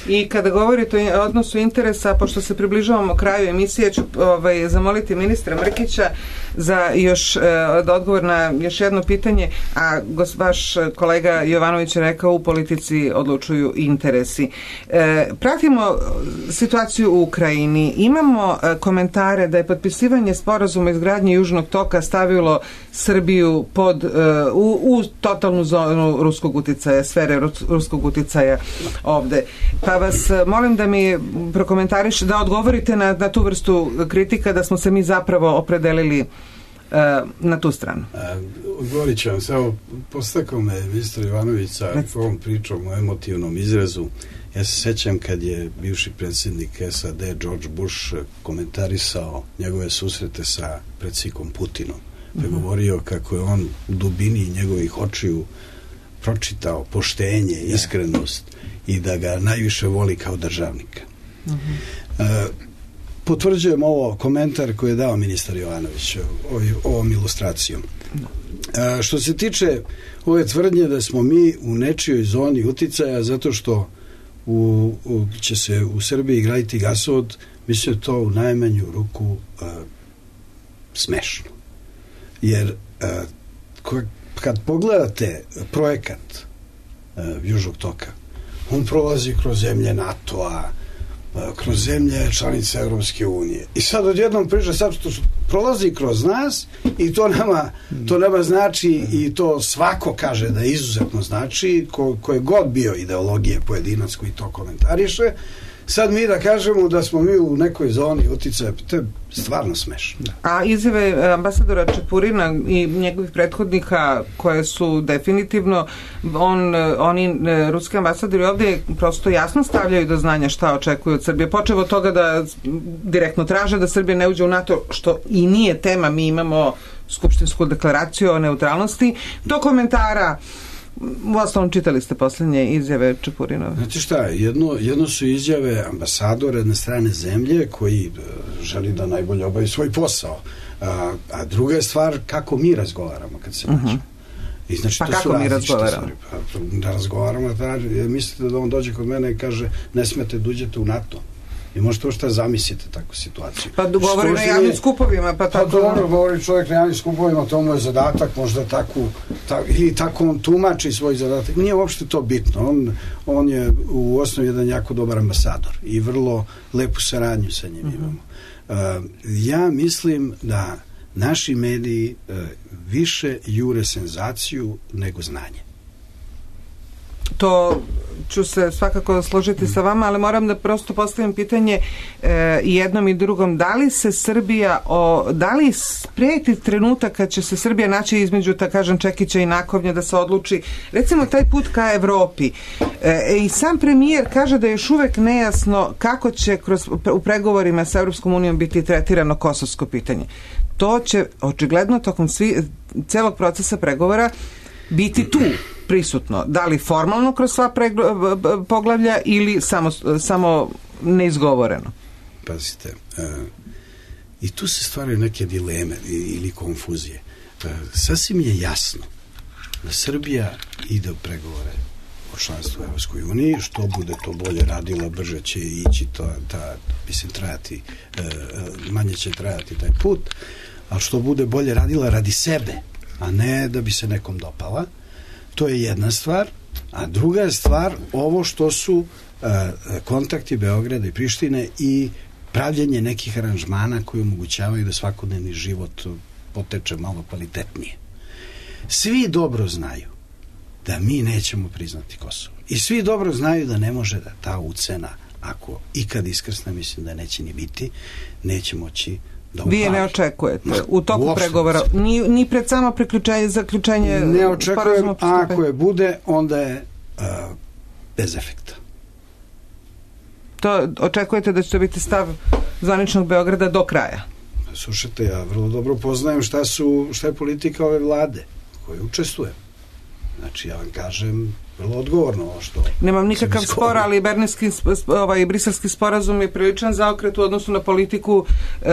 [SPEAKER 5] I kada govorite o odnosu interesa, pošto se približavamo kraju emisije, ću ovaj, zamoliti ministra Mrkića za još eh, odgovor na još jedno pitanje, a gos, vaš kolega Jovanović je rekao u politici odlučuju interesi. Eh, pratimo situaciju u Ukrajini. Imamo eh, komentare da je potpisivanje sporazuma izgradnje Južnog toka stavilo Srbiju pod, eh, u, u totalnu zonu ruskog uticaja, sfere ruskog uticaja ovde. Pa vas molim da mi prokomentariš, da odgovorite na, na tu vrstu kritika da smo se mi zapravo opredelili uh, na tu stranu.
[SPEAKER 7] Odgovorit ću vam, samo postakao me ministar Jovanović sa ovom pričom o emotivnom izrazu. Ja se sećam kad je bivši predsjednik S A D George Bush komentarisao njegove susrete sa predsjednikom Putinom. Pa je govorio kako je on u dubini njegovih očiju pročitao poštenje, iskrenost i da ga najviše voli kao državnika. Uh-huh. E, potvrđujem ovo komentar koji je dao ministar Jovanović o, ovom ilustracijom. E, što se tiče ove tvrdnje da smo mi u nečijoj zoni uticaja zato što u, u, će se u Srbiji graditi gasovod, mislim da to u najmanju ruku uh, smešno. Jer uh, ko, kad pogledate projekat uh, Južnog toka, on prolazi kroz zemlje NATO-a, kroz zemlje članice Evropske unije. I sad odjednom priča sad što prolazi kroz nas i to nama, to nama znači i to svako kaže da izuzetno znači, ko, ko je god bio ideologije pojedinac koji to komentariše, sad mi da kažemo da smo mi u nekoj zoni uticaja, to je stvarno smešno.
[SPEAKER 5] A izjave ambasadora Čepurina i njegovih prethodnika koje su definitivno on, oni ruski ambasadori ovdje prosto jasno stavljaju do znanja šta očekuju od Srbije. Počevo od toga da direktno traže da Srbija ne uđe u NATO, što i nije tema, mi imamo skupštinsku deklaraciju o neutralnosti, do komentara. U osnovom čitali ste posljednje izjave Čepurinove.
[SPEAKER 7] Znate šta, jedno, jedno su izjave ambasadora jedne strane zemlje koji uh, želi da najbolje obavi svoj posao. A, a druga je stvar kako mi razgovaramo kad se nađemo. Uh-huh. I znači,
[SPEAKER 5] pa
[SPEAKER 7] to
[SPEAKER 5] kako
[SPEAKER 7] su
[SPEAKER 5] mi razgovaramo?
[SPEAKER 7] Pa, da razgovaramo, da, mislite da on dođe kod mene i kaže ne smete da uđete u NATO. Vi možete što zamislite takvu situaciju.
[SPEAKER 5] Pa govori na javnim skupovima. Pa,
[SPEAKER 7] pa dobro, govori čovjek na javnim skupovima, to mu je zadatak, možda takvu, tak, i tako on tumači svoj zadatak. Nije uopšte to bitno. On, on je u osnovi jedan jako dobar ambasador i vrlo lepu saradnju sa njim imamo. Uh, ja mislim da naši mediji uh, više jure senzaciju nego znanje.
[SPEAKER 5] To ću se svakako složiti sa vama, ali moram da prosto postavim pitanje e, jednom i drugom. Da li se Srbija, o, da li spreti trenutak kad će se Srbija naći između, ta kažem, čekića i nakovnja da se odluči, recimo, taj put ka Evropi? E, I sam premijer kaže da je još uvek nejasno kako će kroz, u pregovorima sa Evropskom unijom biti tretirano kosovsko pitanje. To će očigledno tokom svi, celog procesa pregovora biti tu prisutno. Da li formalno kroz sva pregl- poglavlja ili samo, samo neizgovoreno?
[SPEAKER 7] Pazite, uh, i tu se stvaraju neke dileme ili konfuzije. Uh, sasvim je jasno da Srbija ide u pregovore o članstvu u Evropskoj uniji, što bude to bolje radila, brže će ići to, ta, mislim, trajati, uh, manje će trajati taj put, ali što bude bolje radila radi sebe, a ne da bi se nekom dopala. To je jedna stvar, a druga je stvar ovo što su uh, kontakti Beograda i Prištine i pravljenje nekih aranžmana koji omogućavaju da svakodnevni život poteče malo kvalitetnije. Svi dobro znaju da mi nećemo priznati Kosovo. I svi dobro znaju da ne može da ta ucena, ako ikad iskrsne, mislim da neće ni biti, neće moći da upali. Vi je
[SPEAKER 5] ne očekujete u toku u pregovora, ni, ni pred samo priključenje, zaključenje
[SPEAKER 7] ne očekujem, a ako je bude, onda je uh, bez efekta.
[SPEAKER 5] To očekujete da će to biti stav zvaničnog Beograda do kraja?
[SPEAKER 7] Slušajte, ja vrlo dobro poznajem šta, su, šta je politika ove vlade koje učestvujem. Znači, ja vam kažem vrlo odgovorno ovo što...
[SPEAKER 5] Nemam nikakav spor, ali Berlinski, ovaj, briselski sporazum je priličan zaokret u odnosu na politiku e,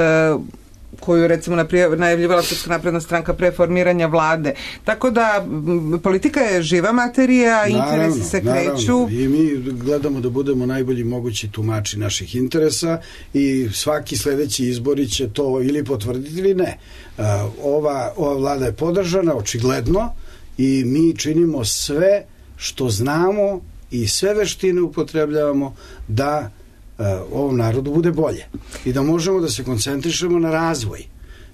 [SPEAKER 5] koju, recimo, najavljivala Srpska napredna stranka pre formiranja vlade. Tako da, m, politika je živa materija, naravno, interesi se kreću.
[SPEAKER 7] Naravno. I mi gledamo da budemo najbolji mogući tumači naših interesa i svaki sledeći izbori će to ili potvrditi ili ne. Uh, ova, ova vlada je podržana, očigledno, i mi činimo sve što znamo i sve veštine upotrebljavamo da uh, ovom narodu bude bolje i da možemo da se koncentrišemo na razvoj,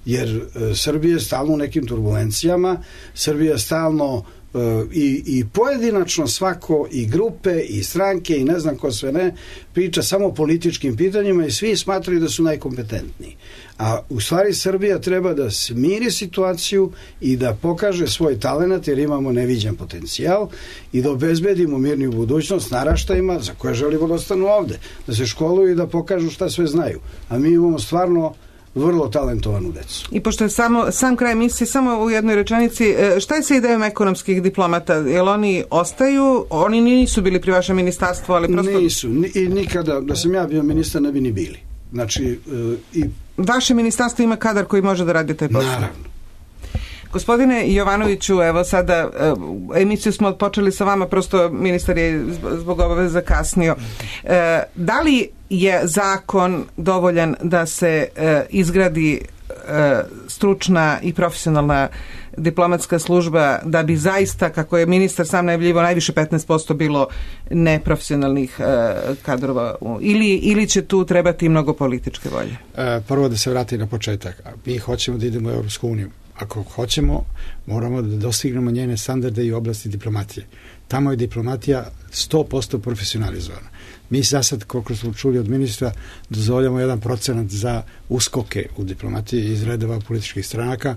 [SPEAKER 7] jer uh, Srbija je stalno u nekim turbulencijama, Srbija je stalno uh, i, i pojedinačno svako, i grupe i stranke i ne znam ko sve ne, priča samo o političkim pitanjima i svi smatraju da su najkompetentniji. A u stvari Srbija treba da smiri situaciju i da pokaže svoj talenat, jer imamo neviđen potencijal, i da obezbedimo mirniju budućnost naraštajima za koje želimo da ostanu ovde, da se školuju i da pokažu šta sve znaju. A mi imamo stvarno vrlo talentovanu decu.
[SPEAKER 5] I pošto je samo, sam kraj emisije, samo u jednoj rečenici, šta je sa idejom ekonomskih diplomata? Jel oni ostaju? Oni nisu bili pri vašem ministarstvu, ali prosto...
[SPEAKER 7] Nisu. I nikada, da sam ja bio ministar, ne bi ni bili. Znači, i...
[SPEAKER 5] Vaše ministarstvo ima kadar koji može da radi taj posao?
[SPEAKER 7] Naravno.
[SPEAKER 5] Gospodine Jovanoviću, evo sada emisiju smo počeli sa vama, prosto ministar je zbog obaveza kasnio. E, da li je zakon dovoljan da se e, izgradi e, stručna i profesionalna diplomatska služba da bi zaista, kako je ministar sam najavljivao, najviše petnaest posto bilo neprofesionalnih e, kadrova, ili, ili će tu trebati mnogo političke volje?
[SPEAKER 1] E, prvo da se vrati na početak. Mi hoćemo da idemo u Evropsku uniju. Ako hoćemo, moramo da dostignemo njene standarde i oblasti diplomatije. Tamo je diplomatija sto posto profesionalizovana. Mi za sad, koliko smo čuli od ministra, dozvoljamo jedan procenat za uskoke u diplomatiji iz redova političkih stranaka.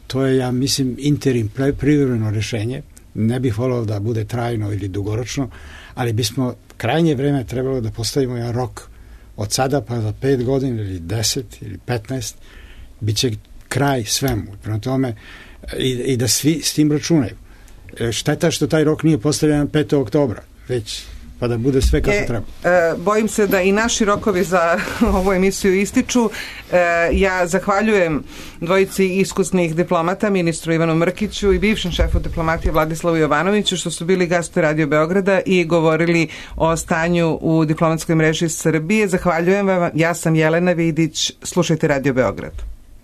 [SPEAKER 1] To je, ja mislim, interim, privremeno rešenje. Ne bih volao da bude trajno ili dugoročno, ali bismo krajnje vreme trebalo da postavimo jedan rok od sada pa za pet godina ili deset ili petnaest, bit će kraj svemu. Prema tome, i, i da svi s tim računaju. Šteta što taj rok nije postavljen petog oktobra, već pa da bude sve kako
[SPEAKER 5] e,
[SPEAKER 1] treba.
[SPEAKER 5] E, bojim se da i naši rokovi za ovu emisiju ističu. E, ja zahvaljujem dvojici iskusnih diplomata, ministru Ivanu Mrkiću i bivšem šefu diplomatije Vladislavu Jovanoviću, što su bili gosti Radio Beograda i govorili o stanju u diplomatskoj mreži Srbije. Zahvaljujem vam, ja sam Jelena Vidić, slušajte Radio Beograd.